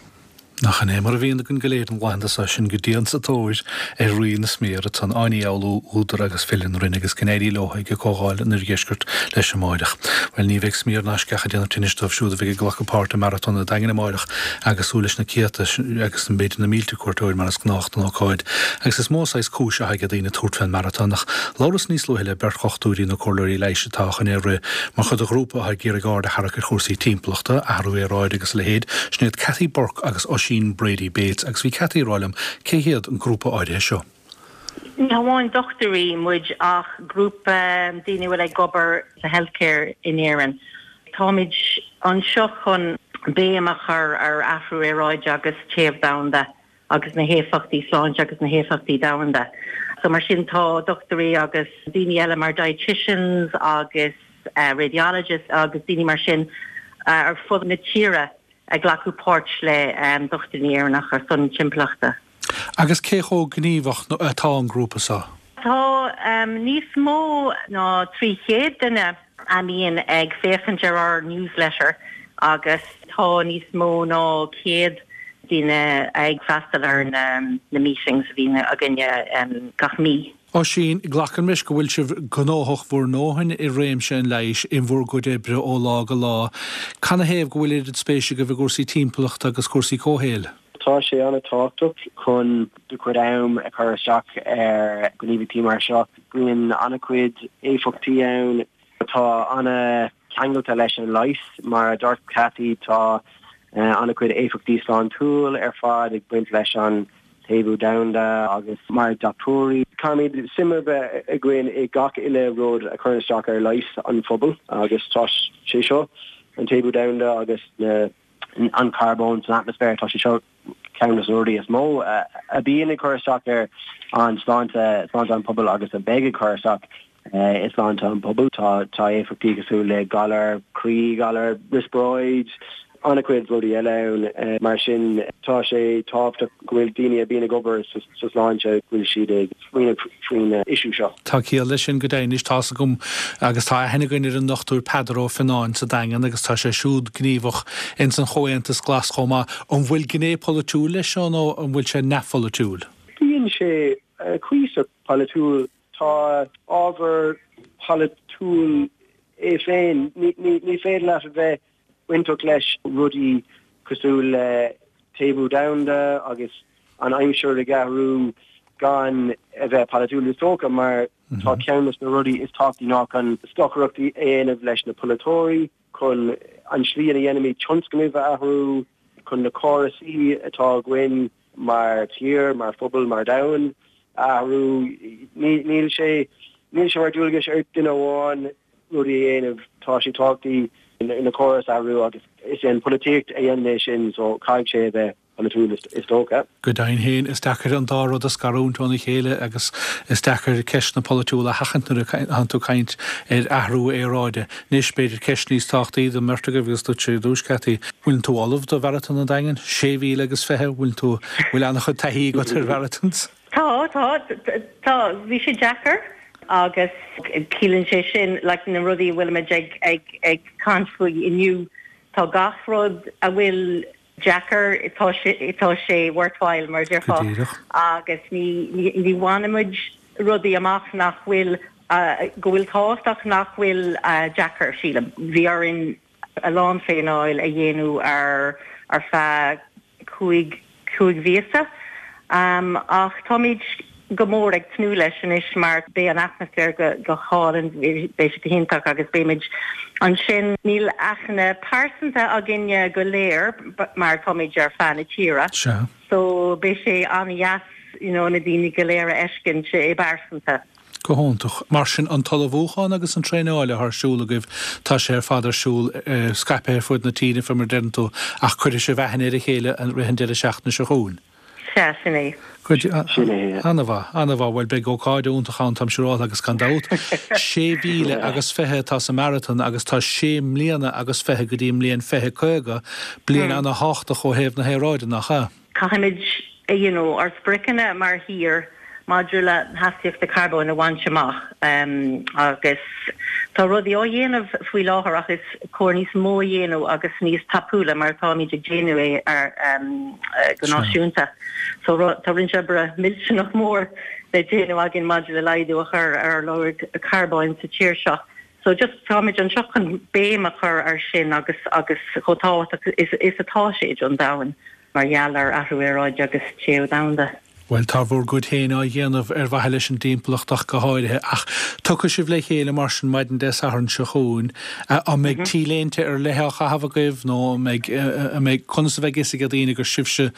Nach in é mar a bhíonn againn go léir na laethanta seo sinn go dian sa tóir ar Rí na Smior ansan Áine Ní Fhoghlú, údar agus file na Rinne agus go n-éirí leo ag an comhdháil in oirdheisceart leis amáireach. Bhuel ní bheidh smior ná sceach ag déanamh tinnis dóibh siúd a bheidh ag glacadh páirt i Maratón an Daingin amáireach agus súil leis na céadta agus b'fhéidir na mílte cuairteoir mar is gnách don ócáid. Agus is mó saghas cúis atá ag daoine tabhairt fén maratón ach labhras níos luaithe le beirt dhochtúirí nó comhairleoirí leighis atá chun é a rith mar chuid de ghrúpa atá ag iarraidh aird a tharrac ar chúrsaí timpeallachta, athrú aeráide agus a leithéid, sin iad Cathy Burke agus Oisín Brady Bates agus bhí Cathy ag rá liom cé hiad an grúpa áirithe seo. Ní hamháin dochtúirí muid ach grúpa daoine a bhfuil ag obair sa healthcare in Éirinn. Táimid anseo chun béim a chur ar athrú aeráide agus téamh domhanda agus na héifeachtaí sláinte agus na héifeachtaí domhanda. So mar sin tá dochtúirí agus daoine eile mar dietitians agus uh, radiologists agus daoine mar sin uh, ar fud na tíre ag glacadh páirt le um, dochtúirí Éireannach ar son timpeallachta. Agus cé chomh gníomhach atá an grúpa seo? Tá um, níos mó ná trí chéad duine a bhíonn ag féachaint ar ár newsletter agus tá níos mó ná céad duine ag freastal ar na, na meetings a bhíonn againne um, gach mí. Oisín, glacaim leis go bhfuil sibh gnóthach bhur ndóthain i réimse an leighis in bhur gcuid oibre ó lá go lá. Canathaobh go bhfuil oiread spéise agaibh i gcúrsaí timpeallachta agus cúrsaí comhshaoil? Tá sé an-tábhachtach chun do chuid am a chur isteach ar ghníomhaíochtaí mar seo. Bíonn an-chuid éifeachtaí ann atá an-cheangailte leis an leigheas mar a dúirt Cathy tá an-chuid éifeachtaí sláintiúil ar fad ag baint leis an téamh domhanda agus mar dochtúirí. Caithfimid suim a bheith againn i gach uile rud a chuireann isteach ar leigheas an phobail agus tá sé seo an téamh domhanda agus na an carbón san atmaisféar tá sé seo ceann de na rudaí is mó a bhíonn ag cur isteach ar an sláinte sláinte an pobal agus a bheidh ag cur isteach i sláinte an pobal tá tá éifeachtaí cosúil le galar croí galar riospráid an-chuid rudaí eile ann mar sin tá sé tábhachtach go bhfuil daoine a bhíonn ag obair sa sláinte go bhfuil siad ag smaoineamh faoin issue seo. Tá ciall leis sin go deimhin tá agam agus tá aithne againn ar an ndochtúir Peadar Ó Fionnáin sa Daingean agus tá sé siúd gníomhach in san Chomhaontas Glas chomh maith. An bhfuil gné polaitiúil leis seo nó an bhfuil sé neamhpholaitiúil? Bíonn sé cuíosach polaitiúil tá ábhar polaitiúil é féin ní féidir leat a bheith bainteach leis rudaí cosúil le téamh domhanda agus an aimsir ag athrú gan a bheith polaitiúil is dócha mar tá ceann de na rudaí is tábhachtaí ná chun stocaireacht a dhéanamh leis na polaiteoirí chun an slí a dhéanaimid tionscnaimh a athrú chun na córasaí atá againn mar tír mar phobal mar domhan athrú níl sé níl sé mar dualgas ar duine amháin rudaí a dhéanamh tá sé tábhachtach na córais a athrú agus is é an pholaitíocht a dhéanann é sin so caithfidh sé a bheith polaitiúil is dócha. Go deimhin féin is deacair an dá rud a scarúint óna chéile agus is deacair ceisteanna polaitiúla a sheachaint nuair a tú caint ar athrú aeráide. Anois b'fhéidir ceist níos tábhachtaí don mbeirt agaibh agus duit ar dtús Cathy. Bhfuil tú ullamh do mharatón an Daingin? Sé mhíle agus fiche bhfuil tú bhfuil an-chuid taithí agat ar mharathons? Tá tá tá bhí sé deacair agus ciallaíonn sé sin like, na rudaí bhfuilimid ag ag ag caint faoi inniu tá gach rud a bhfuil deacair tá sé tá sé worthwhile mar a déarfá agus ní ní, ní bhainimid rudaí amach nach bhfuil uh, go bhfuil tábhachtach nach bhfuil uh, deacair sílim. Bhí orainn a lán traenáil a dhéanamh ar ar feadh cúig cúig mhíosa. Um, ach táimid go mór ag tnúth leis anois mar beidh an atmaisféar go go hálainn beidh sé go hiontach agus beimid ansin níl aithne pearsanta againne go léir mar táimid ar feadh na tíre. So beidh sé an-deas you know, na daoine go léir a fheiscint i bpearsanta. Go hiontach. Mar sin an t-ullmhúchán agus an traenáil ar siúl agaibh tá sé ar fad ar siúl uh, scaipthe ar fud na tíre fé mar deireann tú ach cuirfidh sibh aithne ar a chéile an rith an deireadh seachtaine seo chugainn. Sea sin é. An-mhaith an-mhaith bhuel beidh ócáid iontach ann táim siúráilte agus gan dabht. Sé mhíle agus fiche atá sa marathon agus tá sé mbliana agus fiche go dtí mbliain fiche caoga, bliain an-tábhachtach ó thaobh na haeráide nach ea. Caithfimid you know, ár spriocanna mar thír maidir le hastaíochtaí carbóin a bhaint amach agus tá rudaí á dhéanamh faoi láthair ach is cóir níos mó a dhéanamh agus níos tapúla mar táimid ag déanamh é ar go náisiúnta. So tá roinnt oibre millteanach mór le déanamh againn maidir le laghdú a chur ar lorg carbóin sa tír seo. So just táimid anseo chun béim a chur ar sin agus agus chomh tábhachtach is is atá sé don domhan mar gheall ar athrú aeráide agus téamh domhanda. Bhuel, tá bhur gcuid féin á dhéanamh ar mhaithe leis an dtimpeallacht ach go háirithe, ach tiocfaidh sibh le chéile mar sin maidin Dé Sathairn seo chugainn. An mbeidh T-léinte ar leith á chaitheamh agaibh nó an mbeidh, an mbeidh, conas a bheidh fhios ag daoine gur sibhse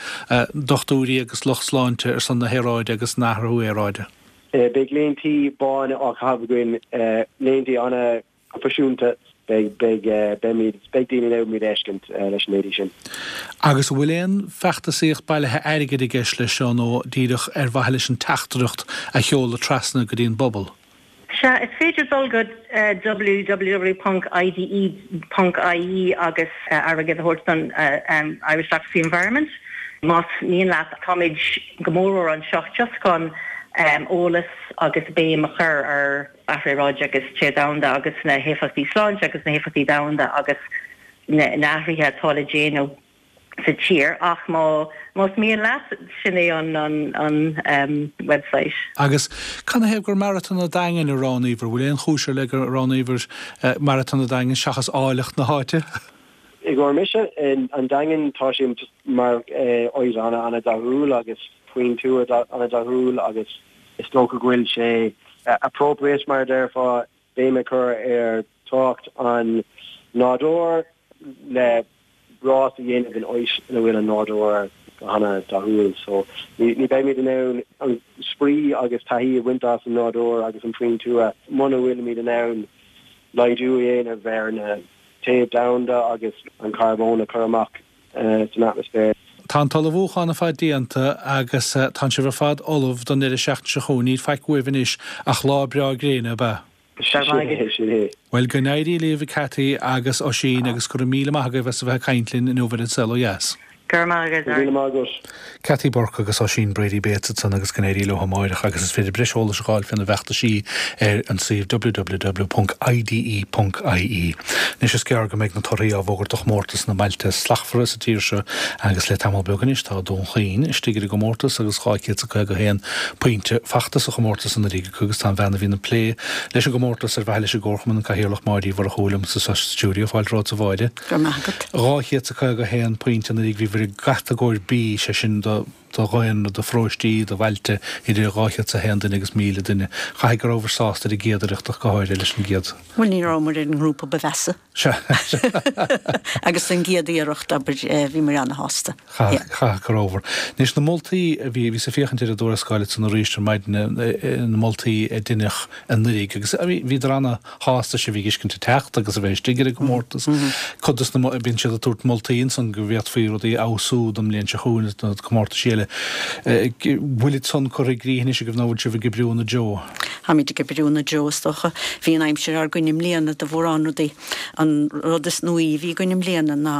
dochtúirí agus lucht sláinte ar son na haeráide agus an athrú aeráide? Beidh léintí bána á chaitheamh againn, léintí ana-phroifisiúnta. Beidh, beidh, beimid, beidh daoine in ann muid a fheiscint leis na léintí sin. Agus an bhfuil aon feachtasaíocht bailithe airgid i gceist leis seo nó díreach ar mhaithe leis an teachtaireacht a sheoladh trasna go dtí an bpobal? Sea, is féidir dul go www ponc ide ponc ie agus airgead a thabhairt don Irish Doctors for the Environment más mian leat. Táimid go mór anseo just chun eolas agus béim a chur ar athrú aeráide agus téamh domhanda agus na héifeachtaí sláinte agus na héifeachtaí domhanda agus na hathruithe atá le déanamh sa tír ach má más mian leat, sin é an an an website. Agus canathaobh gur Maratón an Daingin a roghnaíobhair? Bhfuil aon chúis ar leith gur roghnaíobhair Maratón an Daingin seachas áilleacht na háite? I gcomhair mise, an Daingean, tá sé just mar áit an-dathúil agus faoin tuath an-dathúil agus is dócha go bhfuil sé appropriate, mar a déarfá, béim a chur ar tábhacht an nádúir le rás a dhéanamh in áit ina bhfuil an nádúr go hana-dathúil. So ní beimid in ann an spraoi agus taithí a bhaint as an nádúr agus an faoin tuath muna bhfuilimid in ann laghdú a dhéanamh ar an téamh domhanda agus an carbón a chur amach san atmaisféar. Tá an t-ullmhúchán ar fad déanta agus tá sibh ar fad ullamh don deireadh seachtaine seo chugainn. Níl faic uaibh anois ach lá breá gréine, ab ea? Sin é, sin é. Bhuel, go n-éirí libh, a Cathy agus Oisín, agus go raibh míle maith agaibh as a bheith ag caint linn inniu ar An Saol Ó Dheas. Go raibh maith agat. Go raibh míle maith agat. Cathy Burke agus Oisín Brady Bates ansan agus go n-éirí leo amáireach agus is féidir breis eolais a fháil faoina bhfeachtaisí ar an suíomh www.ide.ie. Anois is gearr go mbeidh na torthaí á bhfógairt do chomórtas na mBailte Slachtmhara sa tír seo agus le tamall beag anois tá Dún Chaoin istigh ar an gcomórtas agus dhá chéad is a caoga a haon pointe fachta sa chomórtas anuraidh acu agus tá an bhean a bhíonn ag plé leis an gcomórtas ar mhaithe leis an gComharchumann, an Cathaoirleach Máire Uí Mhurchú liom sa stiúideo. Fáilte romhat a Mháire. Go raibh maith agat. Dhá chéad is a caoga a haon pointe anuraidh bhíobhair i gcatagóir B, sé sin do do dhaonra, do pharóistí, do bhailte idir dhá chéad is a haon duine agus míle duine. Caithfidh go rabhabhair sásta ar an gcéad iarracht ach go háirithe leis an gcéad. Bhuel, ní rabhamar ar an ngrúpa ba mheasa. Sea. Agus an gcéad iarracht, abair, bhíomar ana-shásta. Chaithfeadh go rabhabhair. Anois, na moltaí a bhí, bhíos ag féachaint ar an dtuarascáil ansan arís ar maidin, na moltaí a deineadh anuraidh agus bhíodar ana-shásta sibh a fheiscint ag teacht agus a bheith istigh ar an gcomórtas. Cuid dos na, bíonn siad ag tabhairt moltaí ansan go bhféadfaí rudaí a fheabhsú don mbliain seo chugainn nó do chomórtais eile. Bhfuil san curtha i gcrích anois agaibh nó bhfuil sibh ag oibriú ina dtreo? Táimid ag oibriú ina dtreo is dócha. Bhí an aimsir ár gcoinne i mbliana do mhórán rudaí. An rud is nuaí a bhí againn i mbliana ná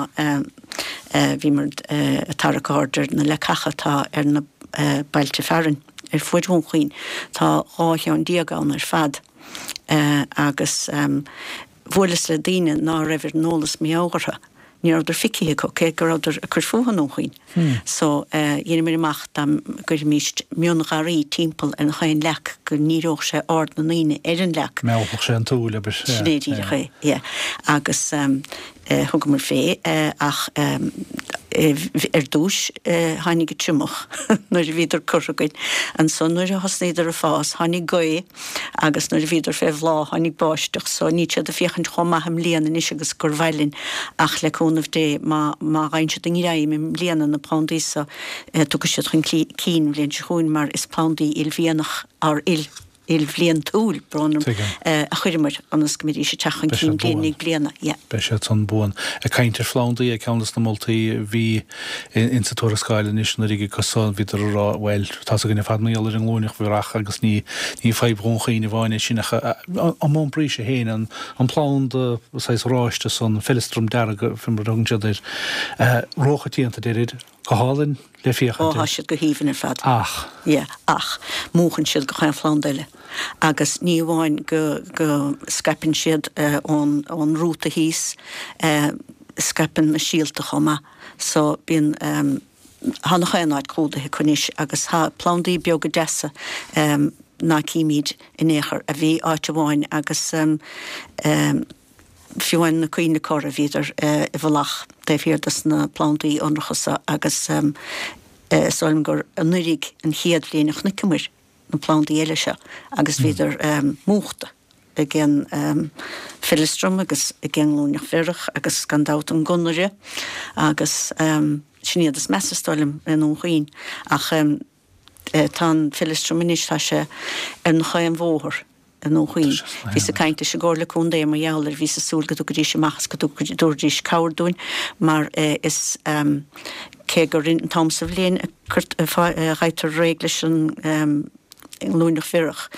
bhíomar ag tarrac aird ar na leacacha atá ar na bailte fearainn ar fuaid Dhún Chaoin. Tá dhá cheann déag ann ar fad agus bhuaileas le daoine ná raibh ar an eolas mar gheall orthu. Ní rabhadar feicthe acu, cé go rabhadar ag cur fúthu i nDún Chaoin. So, dheineamar amach dá gcuirfimíst miongharraí timpeall ar an chaon leac go ndíreodh sé aird na ndaoine ar an leac. Meallfadh sé an tsúil, abair. Sin é díreach é, yeah. Agus thugamar fé, ach ar dtúis tháinig an triomach nuair a bhíodar curtha againn. Ansan nuair a thosnaíodar ag fás tháinig gaoth agus nuair a bhíodar fé bhláth tháinig báisteach so níl siad ag féachaint chomh maith i mbliana anois agus gur mhaith linn ach le cúnamh Dé má má fhaigheann siad a ngreim i mbliana na plandaí so tiocfaidh siad chun cinn an bhliain seo chugainn mar is plandaí ilmhianach or il ilbhliantúil, brón orm, a chuireamar ionas go mbeidís ag teacht chun cinn bliain i ndiaidh bliana. Yeah. Beidh siad san buan. Ag caint ar phlandaí, ceann de na moltaí a bhí insa tuarascáil anois anuraidh agus so, bhíodar ag rá, bhuel, tá's againn ar fad mar gheall ar an nglúineach bhratach agus ní ní fadhb Dhún Chaoin amháin é sin ach an mbuanphraois féin, an an planda saghas oráiste san, an feileastram dearg, fé mar a thugann siad air, róchoitianta, deirid. go hálainn le féachaint. Ó, tá siad go haoibhinn ar fad. Ach. Yeah, ach múchann siad gach aon phlanda eile. Agus ní amháin go, go scaipeann siad ón, ón rúta thíos, scaipeann na síolta chomh maith. So bíonn, tá nach aon áit clúdaithe acu anois agus tá plandaí beaga deasa ná címid in aon chor, a bhí áit amháin agus fiú amháin na coinnle corra bhíodar i bhfolach taobh thiar dos na plandaí ionracha so agus is dóigh liom gur anuraidh an chéad bhliain a chonaiceamair na plandaí eile seo agus bhíodar múchta ag an feileastram agus ag an nglúineach bhiorach agus gan dabht an gunnaire agus sin iad is measa is dóigh liom i nDún Chaoin ach tá an feileastram anois tá sé ar nach aon bhóthar i nDún Chaoin. Bhíos ag caint leis an gComhairle Contae mar gheall air, bhíos ag súil go dtiocfaidís amach is go dtabharfaidís cabhair dúinn mar is cé gur an t-am sa bhliain a ghaibhtear réidh leis an nglúineach bhiorach,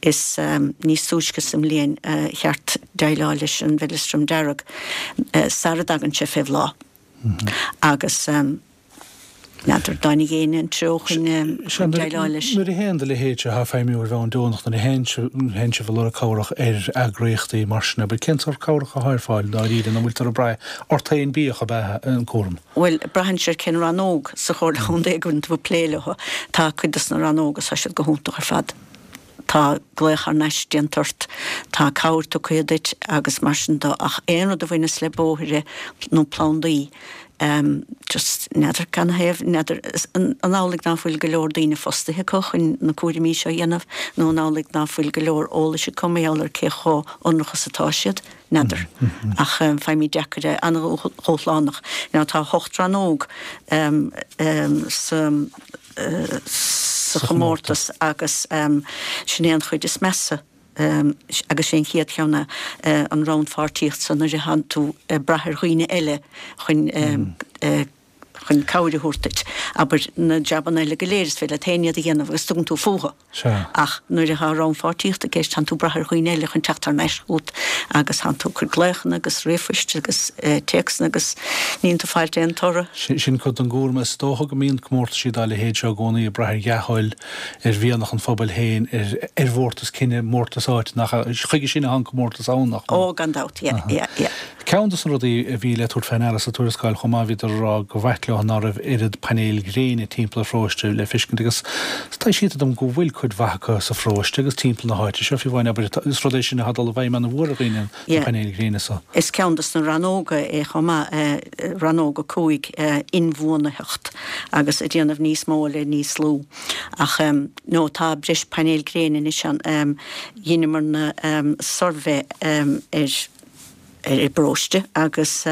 is níos túisce sa mbliain a cheart déileáil leis an bhfeileastram dearg sara dtagann sé fé bhláth. Agus. N'fheadar an dtáinig éinne an treo chun déileáil leis. Nuair a théann do leithéid atá ag feidhmiú ar bhonn deonach, nuair a théann sibh ag lorg cabhrach ar eagraíochtaí mar sin, abair, cén sórt cabhrach atá ar fáil dáiríre, nó an bhfuiltear ag brath ort féin bíodh ab ea an cúram? Bhuel, braitheann sé ar cén rannóg sa Chomhairle Chontae go bhfuil tú ag plé leo. Tá cuid dos na rannóga, tá siad go hiontach ar fad. Tá glaoch thar n-ais déanta ort, tá cabhair tugtha duit agus mar sin de ach aon rud a bhaineas le bóithre nó plandaí, just n'fheadar canathaobh, n'fheadar an amhlaidh ná fuil go leor daoine fostaithe acu chun na cúraimí seo a dhéanamh nó an amhlaidh ná fuil go leor eolais acu mar gheall ar cé chomh hionrach is atá siad, n'fheadar. Ach faighimid deacair é, an-dhúshlánach. Now tá ocht rannóg sa sa chomórtas agus sin é an chuid is measa agus sé an chéad cheann é an rannpháirtíocht san nuair a thánn tú ag brath ar dhaoine eile chun chun cabhair a thabhairt duit. Abair na jabanna eile go léir is féidir leat féin iad a dhéanamh agus tugann tú fúthu. Ach nuair atá rannpháirtíocht i gceist tánn tú ag brath ar dhaoine eile chun teacht thar n-ais chugat agus tánn tú ag cur glaochanna agus ríomhphoist agus téacsanna agus níonn tú ag fáilt aon toradh. Sin cuid den gcúram. Is dócha go mbíonn comórtaisí dá leithéid seo i gcónaí ag brath ar dhea-thoil, ar mhianach an phobail féin, ar mhórtas cine, mórtas áite, nach ea? Chuige sin atá an comórtas ann, nach ea? Ó, gan dabht, yeah, yeah, yeah. Ceann de na rudaí a bhí le tabhairt fé ndeara sa tuarascáil chomh maith, bhíodar ag rá go bh'ait leo ná raibh oiread painéil ghréine timpeall an pharóiste le feiscint agus taibhsítear dom go bhfuil cuid mhaith acu sa pharóiste agus timpeall na háite seo, fiú amháin, abair, is rud é sin atá ag dul i bhfeidhm ana-mhór ar dhaoine, na painéil ghréine so. Is ceann de na rannóga é chomh maith, rannóg a cúig, inbhuanaitheacht agus ag déanamh níos mó le níos lú. Ach no, tá breis painéil gréine anois ann. Dheineamarna suirbhé ar ar an bparóiste agus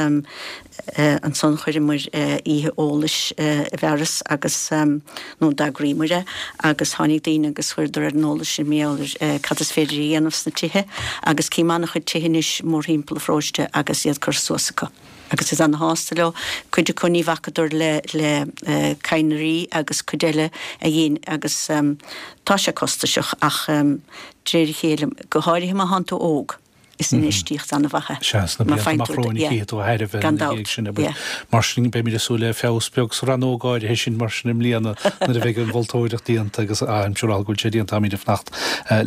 ansan chuireamar oíche eolais i bhfearas agus, nó d'eagraíomar é agus tháinig daoine agus chuireadar ar an eolas sinn mar gheall ar cad is féidir a dhéanamh sna tithe agus cím an-chuid tithe anois mórthimpeall an pharóiste agus iad curtha suas acu agus iad ana-shásta leo. Cuid acu ní bhacadar le le cadhnraí agus cuid eile a dhein agus tá sé costasach ach de réir a chéile, go háirithe má thánn tú óg. Is infheistíocht an-mhaith é. Sea, sna blianta amach romhainn a chífidh tú a thairbhe Gan ina dabht, dhiaidh sin, abair. yeah. Mar sin, beimid ag súil le feabhas beag sa rannóg áirithe sin mar sin i mbliana nuair a bheidh an mholtóireacht déanta agus I'm sure go bhfuil sé déanta, táimid ag fanacht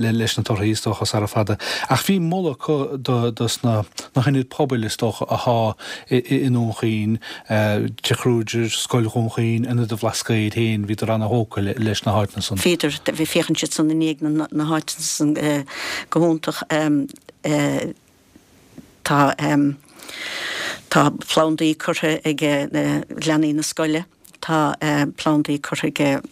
leis na torthaí is dócha sara fada. Ach bhí moladh acu do dos na na hionaid pobail is dócha athá i i nDún Chaoin, Tigh Kruger, Scoil Dhún Chaoin, Ionad an Bhlascaoid féin, bhíodar ana-thógtha leis na háiteanna san. Bhíodar, féachann siad san i ndiaidh na na háiteanna san go hiontach. Tá tá plandaí curtha ag leanaí na scoile, tá plandaí curtha ag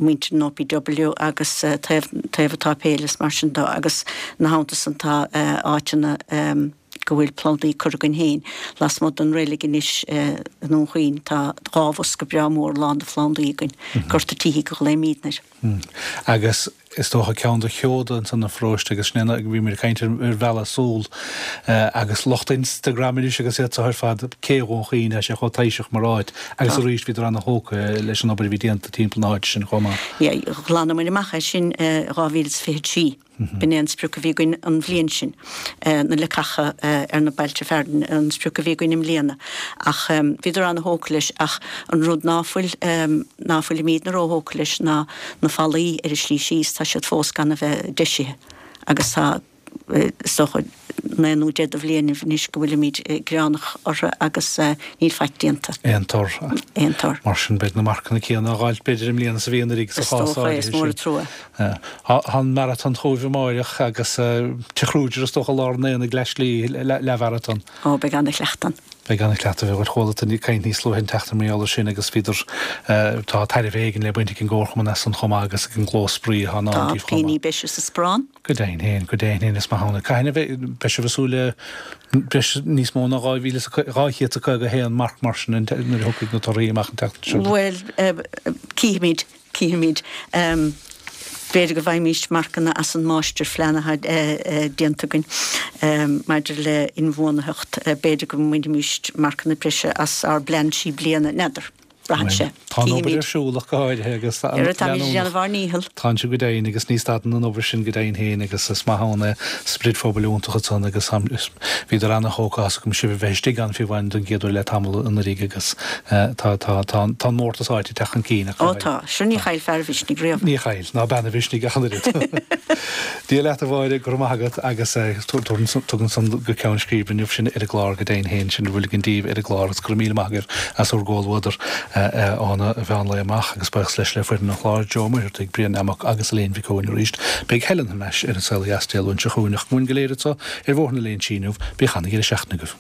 muintir an OPW agus taobh taobh an tsáipéil is mar sin de agus ina theannta san tá áiteanna go bhfuil plandaí curtha againn féin. Lasmuigh den reilig anois i nDún Chaoin tá dhá bhosca breá mór lán de phlandaí againn, Gort an tSíthigh a ghlaoimídne air. Agus is dócha ceann de sheoda ansan an pharóiste agus sin é bhí muid ag caint ar mhealladh súl agus lucht Instagram anois agus iad seo ar fad, Cé Dhún Chaoin, tá sé chomh taibhseach mar áit agus arís bhíodar ana-thógtha leis an obair a bhí déanta timpeall na háite sin chomh maith. Yeah, ghlanamair amach é sin i dhá mhíle is fiche a trí. B'in é an sprioc a bhí againn an bhliain sin, na leacacha ar na bailte fearainn, an sprioc a bhí againn i mbliana. Ach bhíodar ana-thógtha leis ach an rud ná fuil, ná fuilimídne róthógtha leis ná na fallaí ar an slí síos, tá siad fós gan a bheith deisithe agus tá, is dócha, naoi nó deich de bhliainibh anois go bhfuilimíd gearánach orthu agus níl faic déanta. Aon tor. Aon tor. Mar sin beidh na marcanna céanna á dh'fháilt b'fhéidir i mbliana is a bhí anuraidh sa Is chás dócha é, áirithe is mór sin. an trua. Tá an maratón chugaibh amáireach agus Tigh Kruger is dócha lár an aonaigh leath slí, leathmharatón. Ó, beidh ana-chleachtadh ann. Beidh ana-chleachtadh. Bhuel, chuala tú ag caint níos luaithe an tseachtain mar gheall air sin agus bhíodar, tá tairbhe éigin le baint ag an gcomharchumann as san chomh maith agus ag an gclós spraoi atá in Tá ann díobh chomh pingin maith. breise sa sparán. Go deimhin féin, go deimhin féin, is maith ann é. Cathain a bheidh, beidh sibh ag súil le breis, níos mó ná dhá mhíle is a, dhá chéad is a caoga a haon marc mar sin nuair a thiocfaidh na torthaí amach an tseachtain seo. Bhuel, cífimid, cífimid. B'fhéidir go bhfaighimís marcanna as an máistirphlean atá déanta againn maidir le inbhuanaitheacht. B'fhéidir go mbainfimís marcanna breise as ár bplean trí bliana, n'fheadar. Braitheann sé. Tá an obair Cífimid. ar siúl ach go háirithe agus tá Ar táimid ag leanúnach. déanamh ár ndícheall. Tánn sibh go deimhin agus ní stadann an obair sin go deimhin féin agus is maith ann é sprid phobail iontach ansan agus bhíodar ana-thógtha as agam sibh a bheith istigh ann fiú amháin don gcéad uair le tamall anuraidh agus tá tá tá tá an mórtas áite ag teacht chun cinn ach go Ó háirithe. tá, sure ní chaill fear a mhisnigh riamh. Ní chaill, ná bean a mhisnigh ach an oiread. Dia leat a Mháire, go raibh maith agat agus tugann san go ceann scríbe inniu sinn ar an gclár go deimhin féin, sin a bhfuil againn daoibh ar an gclár agus go raibh míle maith agaibh as bhur gcomhluadar óna mheán lae amach agus buíochas leis le foireann an chláir, Joe Ó Muircheartaigh, Brian Amach agus Elaine Mhic Eoin arís. Beidh Helen thar n-ais ar an Saol Ó Dheas Dé Luain seo chugainn ach uainn go léir anseo ar Bhóthar na Léinsí inniu, bíodh ana-dheireadh seachtaine agaibh.